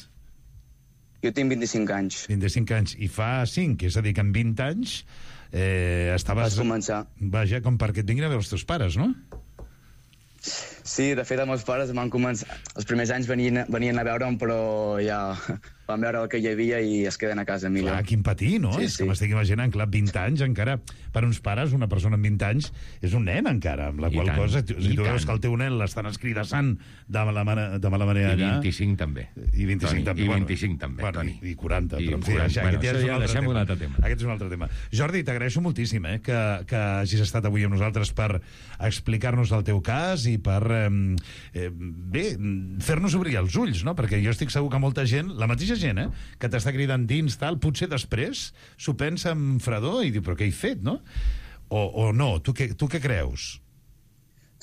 Jo tinc vint-i-cinc anys. vint-i-cinc anys. I fa cinc, és a dir, que en vint anys eh, estaves... Vas començar. Vaja, com perquè et vinguin a veure els teus pares, no? Sí, de fet, els meus pares van començar... Els primers anys venien, venien a veure'm, però ja van veure el que hi havia i es queden a casa millor. Clar, quin patir, no? Sí, és sí. que m'estic imaginant, clar, vint anys encara, per uns pares, una persona amb vint anys és un nen encara, amb la I qual tant, cosa, si tu tant. veus que el teu nen l'estan escridassant de mala, manera, de mala manera I allà... vint-i-cinc també. I vint-i-cinc Toni, també. I Bueno, vint-i-cinc també, bueno, Toni. I, i quaranta, I però en fi, quaranta. això, Bueno, aquest ja això és ja un altre deixem tema. un altre tema. Aquest és un altre tema. Jordi, t'agraeixo moltíssim eh, que, que hagis estat avui amb nosaltres per explicar-nos el teu cas i per, eh, eh, bé, fer-nos obrir els ulls, no? Perquè jo estic segur que molta gent, la mateixa gent, eh, que t'està cridant dins, tal, potser després s'ho pensa amb fredor i diu, però què he fet, no? O, o no, tu què, tu què creus?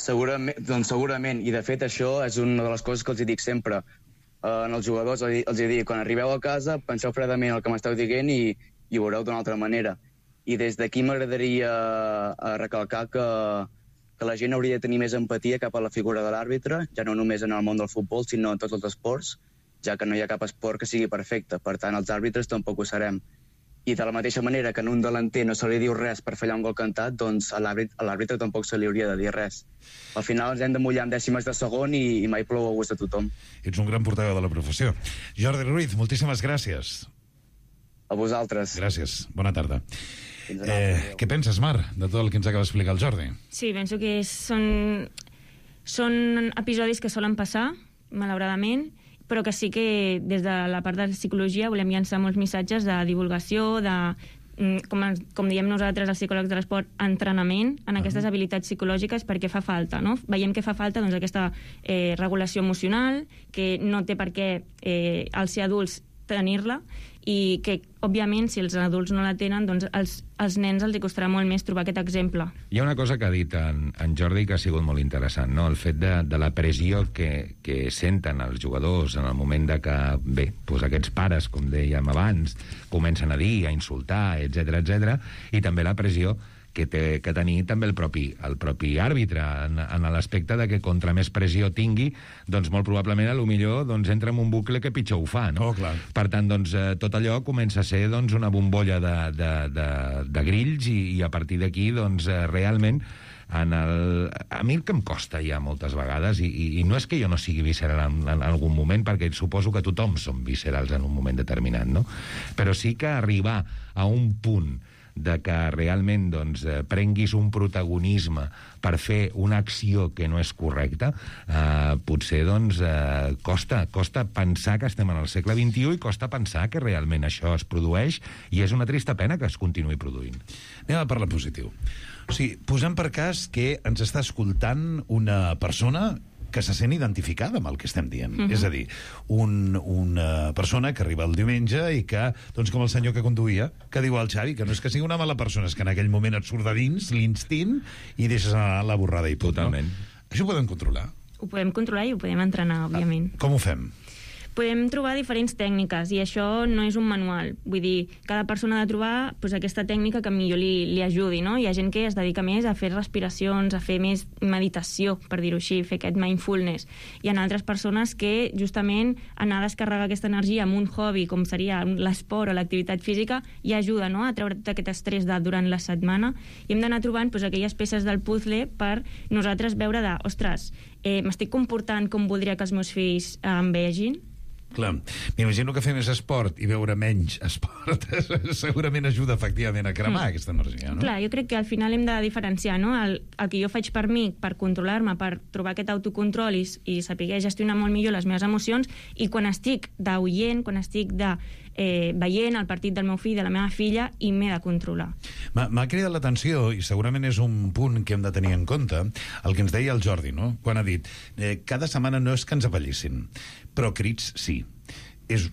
Segurament, doncs segurament, i de fet això és una de les coses que els dic sempre. Uh, en els jugadors els, els dic, quan arribeu a casa, penseu fredament el que m'esteu dient i, i ho veureu d'una altra manera. I des d'aquí m'agradaria uh, recalcar que, que la gent hauria de tenir més empatia cap a la figura de l'àrbitre, ja no només en el món del futbol, sinó en tots els esports, ja que no hi ha cap esport que sigui perfecte. Per tant, els àrbitres tampoc ho serem. I de la mateixa manera que en un delanter no se li diu res per fallar un gol cantat, doncs a l'àrbitre tampoc se li hauria de dir res. Al final ens hem de mullar en dècimes de segon i, i mai plou a gust de tothom. Ets un gran portaveu de la professió. Jordi Ruiz, moltíssimes gràcies. A vosaltres. Gràcies. Bona tarda. Eh, què penses, Mar, de tot el que ens acaba d'explicar el Jordi? Sí, penso que són, són episodis que solen passar, malauradament, però que sí que des de la part de la psicologia volem llançar molts missatges de divulgació, de, com, com diem nosaltres els psicòlegs de l'esport, entrenament en aquestes habilitats psicològiques, perquè fa falta, no? Veiem que fa falta doncs, aquesta eh, regulació emocional, que no té per què eh, al ser adults tenir-la, i que, òbviament, si els adults no la tenen, doncs als, als nens els hi costarà molt més trobar aquest exemple. Hi ha una cosa que ha dit en, en Jordi que ha sigut molt interessant, no? El fet de, de la pressió que, que senten els jugadors en el moment de que, bé, doncs aquests pares, com dèiem abans, comencen a dir, a insultar, etcètera, etcètera, i també la pressió que té que tenir també el propi, el propi àrbitre, en, en l'aspecte de que contra més pressió tingui, doncs molt probablement a lo millor doncs, entra en un bucle que pitjor ho fa, no? Oh, clar. Per tant, doncs, eh, tot allò comença a ser doncs, una bombolla de, de, de, de grills i, i a partir d'aquí, doncs, eh, realment, en el... a mi el que em costa ja moltes vegades, i, i, i no és que jo no sigui visceral en, en algun moment, perquè suposo que tothom som viscerals en un moment determinat, no? Però sí que arribar a un punt de que realment doncs, eh, prenguis un protagonisme per fer una acció que no és correcta, eh, potser doncs, eh, costa, costa pensar que estem en el segle vint-i-u i costa pensar que realment això es produeix i és una trista pena que es continuï produint. Anem a parlar positiu. O sigui, posem per cas que ens està escoltant una persona que se sent identificada amb el que estem dient. Uh-huh. És a dir, un, una persona que arriba el diumenge i que, doncs com el senyor que conduïa, que diu al Xavi, que no és que sigui una mala persona, és que en aquell moment et surt de dins l'instint i deixes anar la borrada i punt. Totalment. No? Això ho podem controlar? Ho podem controlar i ho podem entrenar, òbviament. Ah, com ho fem? Podem trobar diferents tècniques i això no és un manual. Vull dir, cada persona ha de trobar pues, aquesta tècnica que millor li, li ajudi, no? Hi ha gent que es dedica més a fer respiracions, a fer més meditació, per dir-ho així, fer aquest mindfulness. Hi ha altres persones que justament anar a descarregar aquesta energia amb un hobby, com seria l'esport o l'activitat física, i ajuda, no?, a treure tot aquest estrès de, durant la setmana. I hem d'anar trobant pues, aquelles peces del puzzle per nosaltres veure de, ostres, eh, m'estic comportant com voldria que els meus fills eh, em vegin? Clar, m'imagino que fer més esport i veure menys esport segurament ajuda efectivament a cremar mm. aquesta energia, no? Clar, jo crec que al final hem de diferenciar, no?, el, el que jo faig per mi, per controlar-me, per trobar aquest autocontrol i, i saber gestionar molt millor les meves emocions, i quan estic d'oient, quan estic de eh, veient el partit del meu fill, de la meva filla, i m'he de controlar. M'ha cridat l'atenció, i segurament és un punt que hem de tenir en compte, el que ens deia el Jordi, no?, quan ha dit eh, cada setmana no és que ens apallissin, però crits sí. És,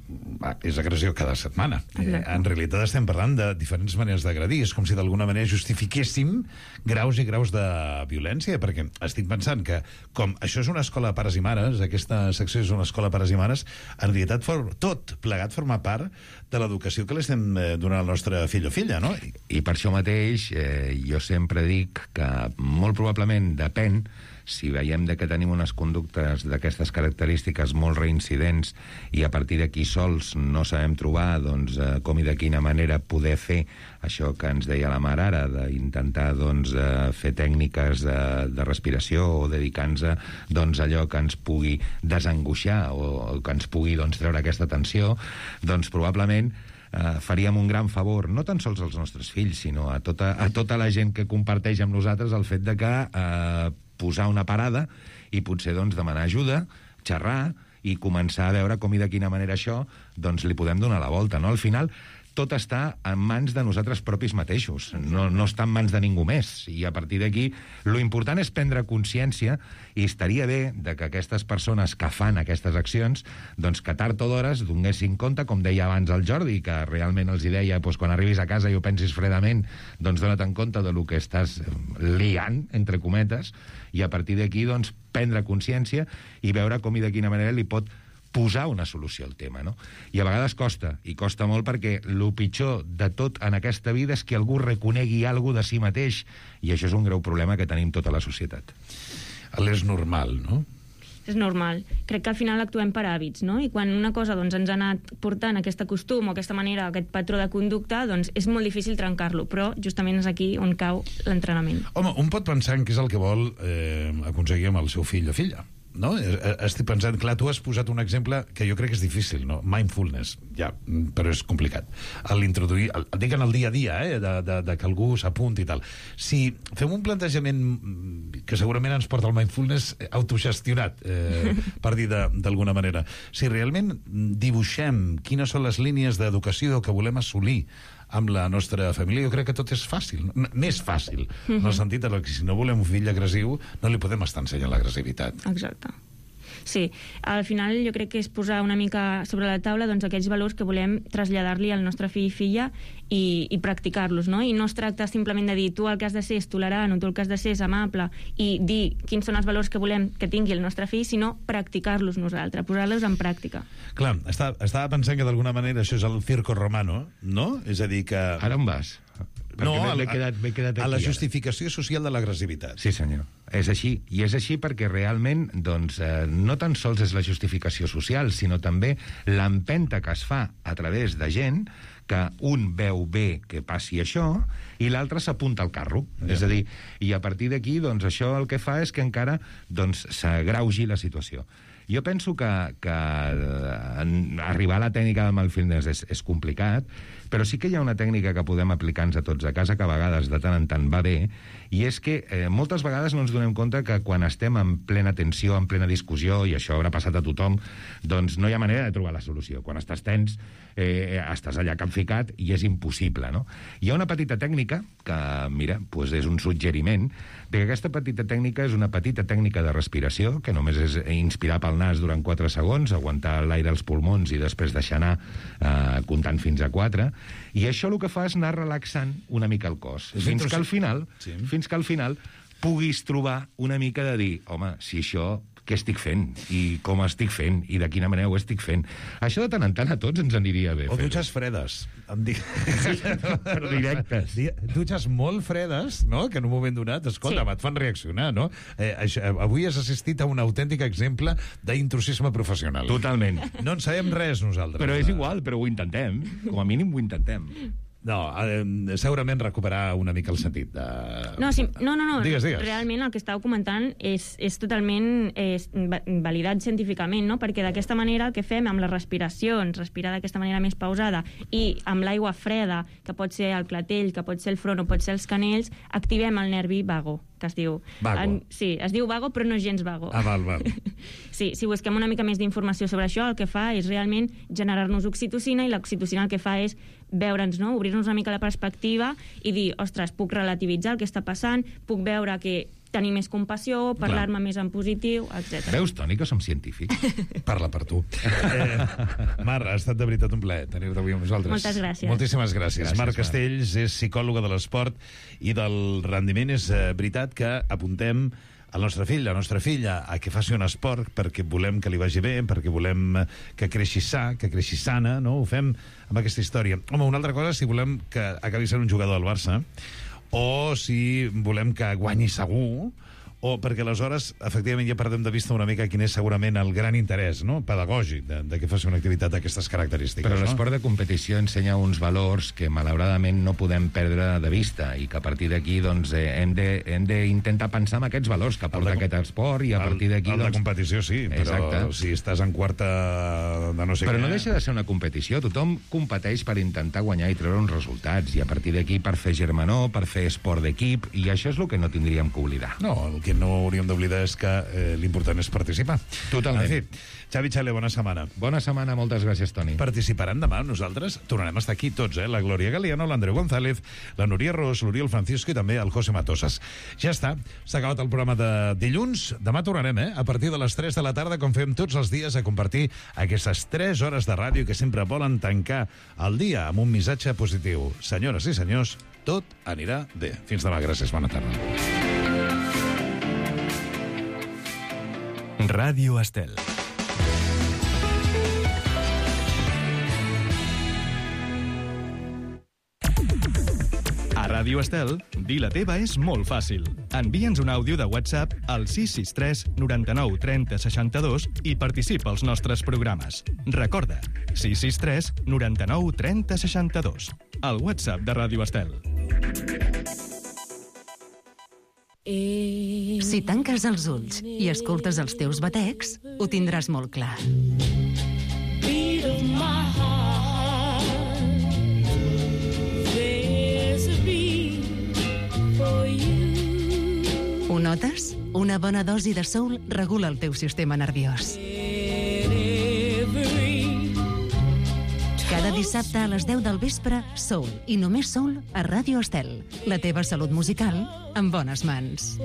és agressió cada setmana. Eh, en realitat estem parlant de diferents maneres d'agredir. És com si d'alguna manera justifiquéssim graus i graus de violència, perquè estic pensant que, com això és una escola de pares i mares, aquesta secció és una escola de pares i mares, en realitat for, tot plegat forma part de l'educació que li estem donant al nostre fill o filla, no? I, i per això mateix eh, jo sempre dic que molt probablement depèn si veiem de que tenim unes conductes d'aquestes característiques molt reincidents i a partir d'aquí sols no sabem trobar doncs, eh, com i de quina manera poder fer això que ens deia la mare ara, d'intentar doncs, eh, fer tècniques de, de respiració o dedicar-nos a doncs, allò que ens pugui desangoixar o, o que ens pugui doncs, treure aquesta tensió, doncs probablement Uh, faríem un gran favor, no tan sols als nostres fills, sinó a tota, a tota la gent que comparteix amb nosaltres el fet de que uh, posar una parada i potser doncs, demanar ajuda, xerrar i començar a veure com i de quina manera això doncs, li podem donar la volta. No? Al final, tot està en mans de nosaltres propis mateixos, no, no està en mans de ningú més, i a partir d'aquí lo important és prendre consciència, i estaria bé de que aquestes persones que fan aquestes accions, doncs que tard o d'hores donessin compte, com deia abans el Jordi, que realment els hi deia, doncs, quan arribis a casa i ho pensis fredament, doncs dona't en compte de lo que estàs liant, entre cometes, i a partir d'aquí doncs prendre consciència i veure com i de quina manera li pot posar una solució al tema, no? I a vegades costa, i costa molt perquè el pitjor de tot en aquesta vida és que algú reconegui alguna de si mateix, i això és un greu problema que tenim tota la societat. És normal, no? És normal. Crec que al final actuem per hàbits, no? I quan una cosa doncs, ens ha anat portant aquest costum o aquesta manera, aquest patró de conducta, doncs és molt difícil trencar-lo, però justament és aquí on cau l'entrenament. Home, un pot pensar en què és el que vol eh, aconseguir amb el seu fill o filla, no? Estic pensant, clar, tu has posat un exemple que jo crec que és difícil, no? Mindfulness, ja, però és complicat. L'introduir, el, dic en el dia a dia, eh? de, de, de que algú s'apunti i tal. Si fem un plantejament que segurament ens porta al mindfulness autogestionat, eh, per dir d'alguna manera, si realment dibuixem quines són les línies d'educació que volem assolir amb la nostra família, jo crec que tot és fàcil, més fàcil, mm-hmm. en el sentit que si no volem un fill agressiu, no li podem estar ensenyant l'agressivitat. Exacte. Sí, al final jo crec que és posar una mica sobre la taula doncs, aquells valors que volem traslladar-li al nostre fill i filla i, i practicar-los, no? I no es tracta simplement de dir tu el que has de ser és tolerant o tu el que has de ser és amable i dir quins són els valors que volem que tingui el nostre fill, sinó practicar-los nosaltres, posar-los en pràctica. Clar, està, estava pensant que d'alguna manera això és el circo romano, no? És a dir que... Ara on vas? Perquè No, m'he quedat, m'he quedat aquí, a la ara. justificació social de l'agressivitat. Sí, senyor. És així. I és així perquè realment doncs, eh, no tan sols és la justificació social, sinó també l'empenta que es fa a través de gent que un veu bé que passi això i l'altre s'apunta al carro. Ja. És a dir, i a partir d'aquí, doncs, això el que fa és que encara doncs, s'agreugi la situació. Jo penso que, que arribar a la tècnica del mindfulness és, és complicat, però sí que hi ha una tècnica que podem aplicar-nos a tots a casa, que a vegades de tant en tant va bé, i és que eh, moltes vegades no ens donem compte que quan estem en plena tensió, en plena discussió, i això haurà passat a tothom, doncs no hi ha manera de trobar la solució. Quan estàs tens, eh, estàs allà capficat i és impossible, no? Hi ha una petita tècnica que, mira, doncs és un suggeriment, de que aquesta petita tècnica és una petita tècnica de respiració, que només és inspirar pel nas durant quatre segons, aguantar l'aire als pulmons i després deixar anar eh, comptant fins a quatre, i això el que fa és anar relaxant una mica el cos, fins que al final, sí. fins que al final puguis trobar una mica de dir, home, si això, què estic fent? I com estic fent? I de quina manera ho estic fent? Això de tant en tant a tots ens aniria bé. O dutxes fredes. Em dic... Sí, però directes. Dutxes molt fredes, no?, que en un moment donat, escolta, sí. et fan reaccionar, no? Eh, això, avui has assistit a un autèntic exemple d'intrusisme professional. Totalment. No en sabem res, nosaltres. Però és igual, però ho intentem. Com a mínim ho intentem. No, eh, segurament recuperar una mica el sentit de... No, sí, no, no, no. Digues, digues. Realment el que estàveu comentant és, és totalment és, validat científicament, no? Perquè d'aquesta manera el que fem amb les respiracions, respirar d'aquesta manera més pausada, i amb l'aigua freda, que pot ser el clatell, que pot ser el front o pot ser els canells, activem el nervi vago, que es diu... Vago. En, sí, es diu vago, però no és gens vago. Ah, val, val. Sí, si busquem una mica més d'informació sobre això, el que fa és realment generar-nos oxitocina, i l'oxitocina el que fa és veure'ns, no?, obrir-nos una mica la perspectiva i dir, ostres, puc relativitzar el que està passant, puc veure que tenir més compassió, parlar-me més en positiu, etcètera. Veus, Toni, que som científics? Parla per tu. Eh, Mar, ha estat de veritat un plaer tenir-te avui amb nosaltres. Moltes gràcies. Moltíssimes gràcies. Gràcies, Mar Mar. Castells és psicòloga de l'esport i del rendiment. És eh, veritat que apuntem al nostre fill, la nostra filla, a que faci un esport perquè volem que li vagi bé, perquè volem que creixi sa, que creixi sana, no? Ho fem amb aquesta història. Home, una altra cosa, si volem que acabi sent un jugador del Barça, o si volem que guanyi segur, o perquè aleshores, efectivament, ja perdem de vista una mica quin és segurament el gran interès, no?, pedagògic de, de que faci una activitat d'aquestes característiques. Però no? l'esport de competició ensenya uns valors que malauradament no podem perdre de vista i que a partir d'aquí doncs, eh, hem d'intentar pensar en aquests valors que porta aquest esport i a partir d'aquí... El, el doncs... de competició sí, però Exacte. si estàs en quarta de no sé però què... no deixa de ser una competició. Tothom competeix per intentar guanyar i treure uns resultats i a partir d'aquí per fer germanor, per fer esport d'equip, i això és el que no tindríem que oblidar. No, el que no hauríem d'oblidar és que eh, l'important és participar. Totalment. En fi, Xavi Xale, bona setmana. Bona setmana, moltes gràcies, Toni. Participaran demà amb nosaltres? Tornarem a estar aquí tots, eh? La Glòria Galiano, l'Andreu González, la Núria Ros, l'Oriol Francisco i també el José Matosas. Ja està, s'ha acabat el programa de dilluns. Demà tornarem, eh? A partir de les tres de la tarda, com fem tots els dies, a compartir aquestes tres hores de ràdio que sempre volen tancar el dia amb un missatge positiu. Senyores i senyors, tot anirà bé. Fins demà, gràcies, bona tarda. Ràdio Estel. A Ràdio Estel, dir la teva és molt fàcil. Envia'ns un àudio de WhatsApp al sis sis tres noranta-nou trenta seixanta-dos i participa als nostres programes. Recorda, sis sis tres noranta-nou trenta seixanta-dos. El WhatsApp de Ràdio Estel. Si tanques els ulls i escoltes els teus batecs, ho tindràs molt clar. Ho notes? Una bona dosi de soul regula el teu sistema nerviós. Cada dissabte a les deu del vespre, Soul, i només Soul, a Ràdio Estel. La teva salut musical en bones mans.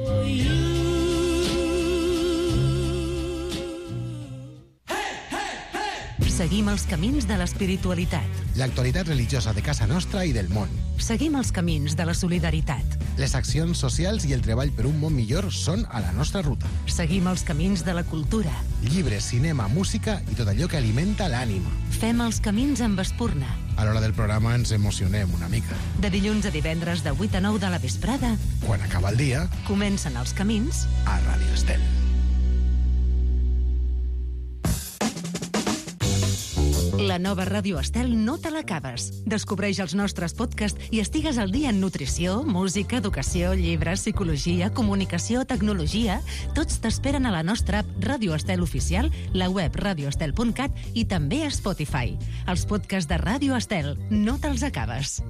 Seguim els camins de l'espiritualitat. L'actualitat religiosa de casa nostra i del món. Seguim els camins de la solidaritat. Les accions socials i el treball per un món millor són a la nostra ruta. Seguim els camins de la cultura. Llibres, cinema, música i tot allò que alimenta l'ànima. Fem els camins amb espurna. A l'hora del programa ens emocionem una mica. De dilluns a divendres de vuit a nou de la vesprada, quan acaba el dia, comencen els camins a Ràdio Estel. La nova Ràdio Estel no te l'acabes. Descobreix els nostres podcasts i estigues al dia en nutrició, música, educació, llibres, psicologia, comunicació, tecnologia. Tots t'esperen a la nostra app Ràdio Estel Oficial, la web radioestel punt cat i també a Spotify. Els podcasts de Ràdio Estel no te'ls acabes.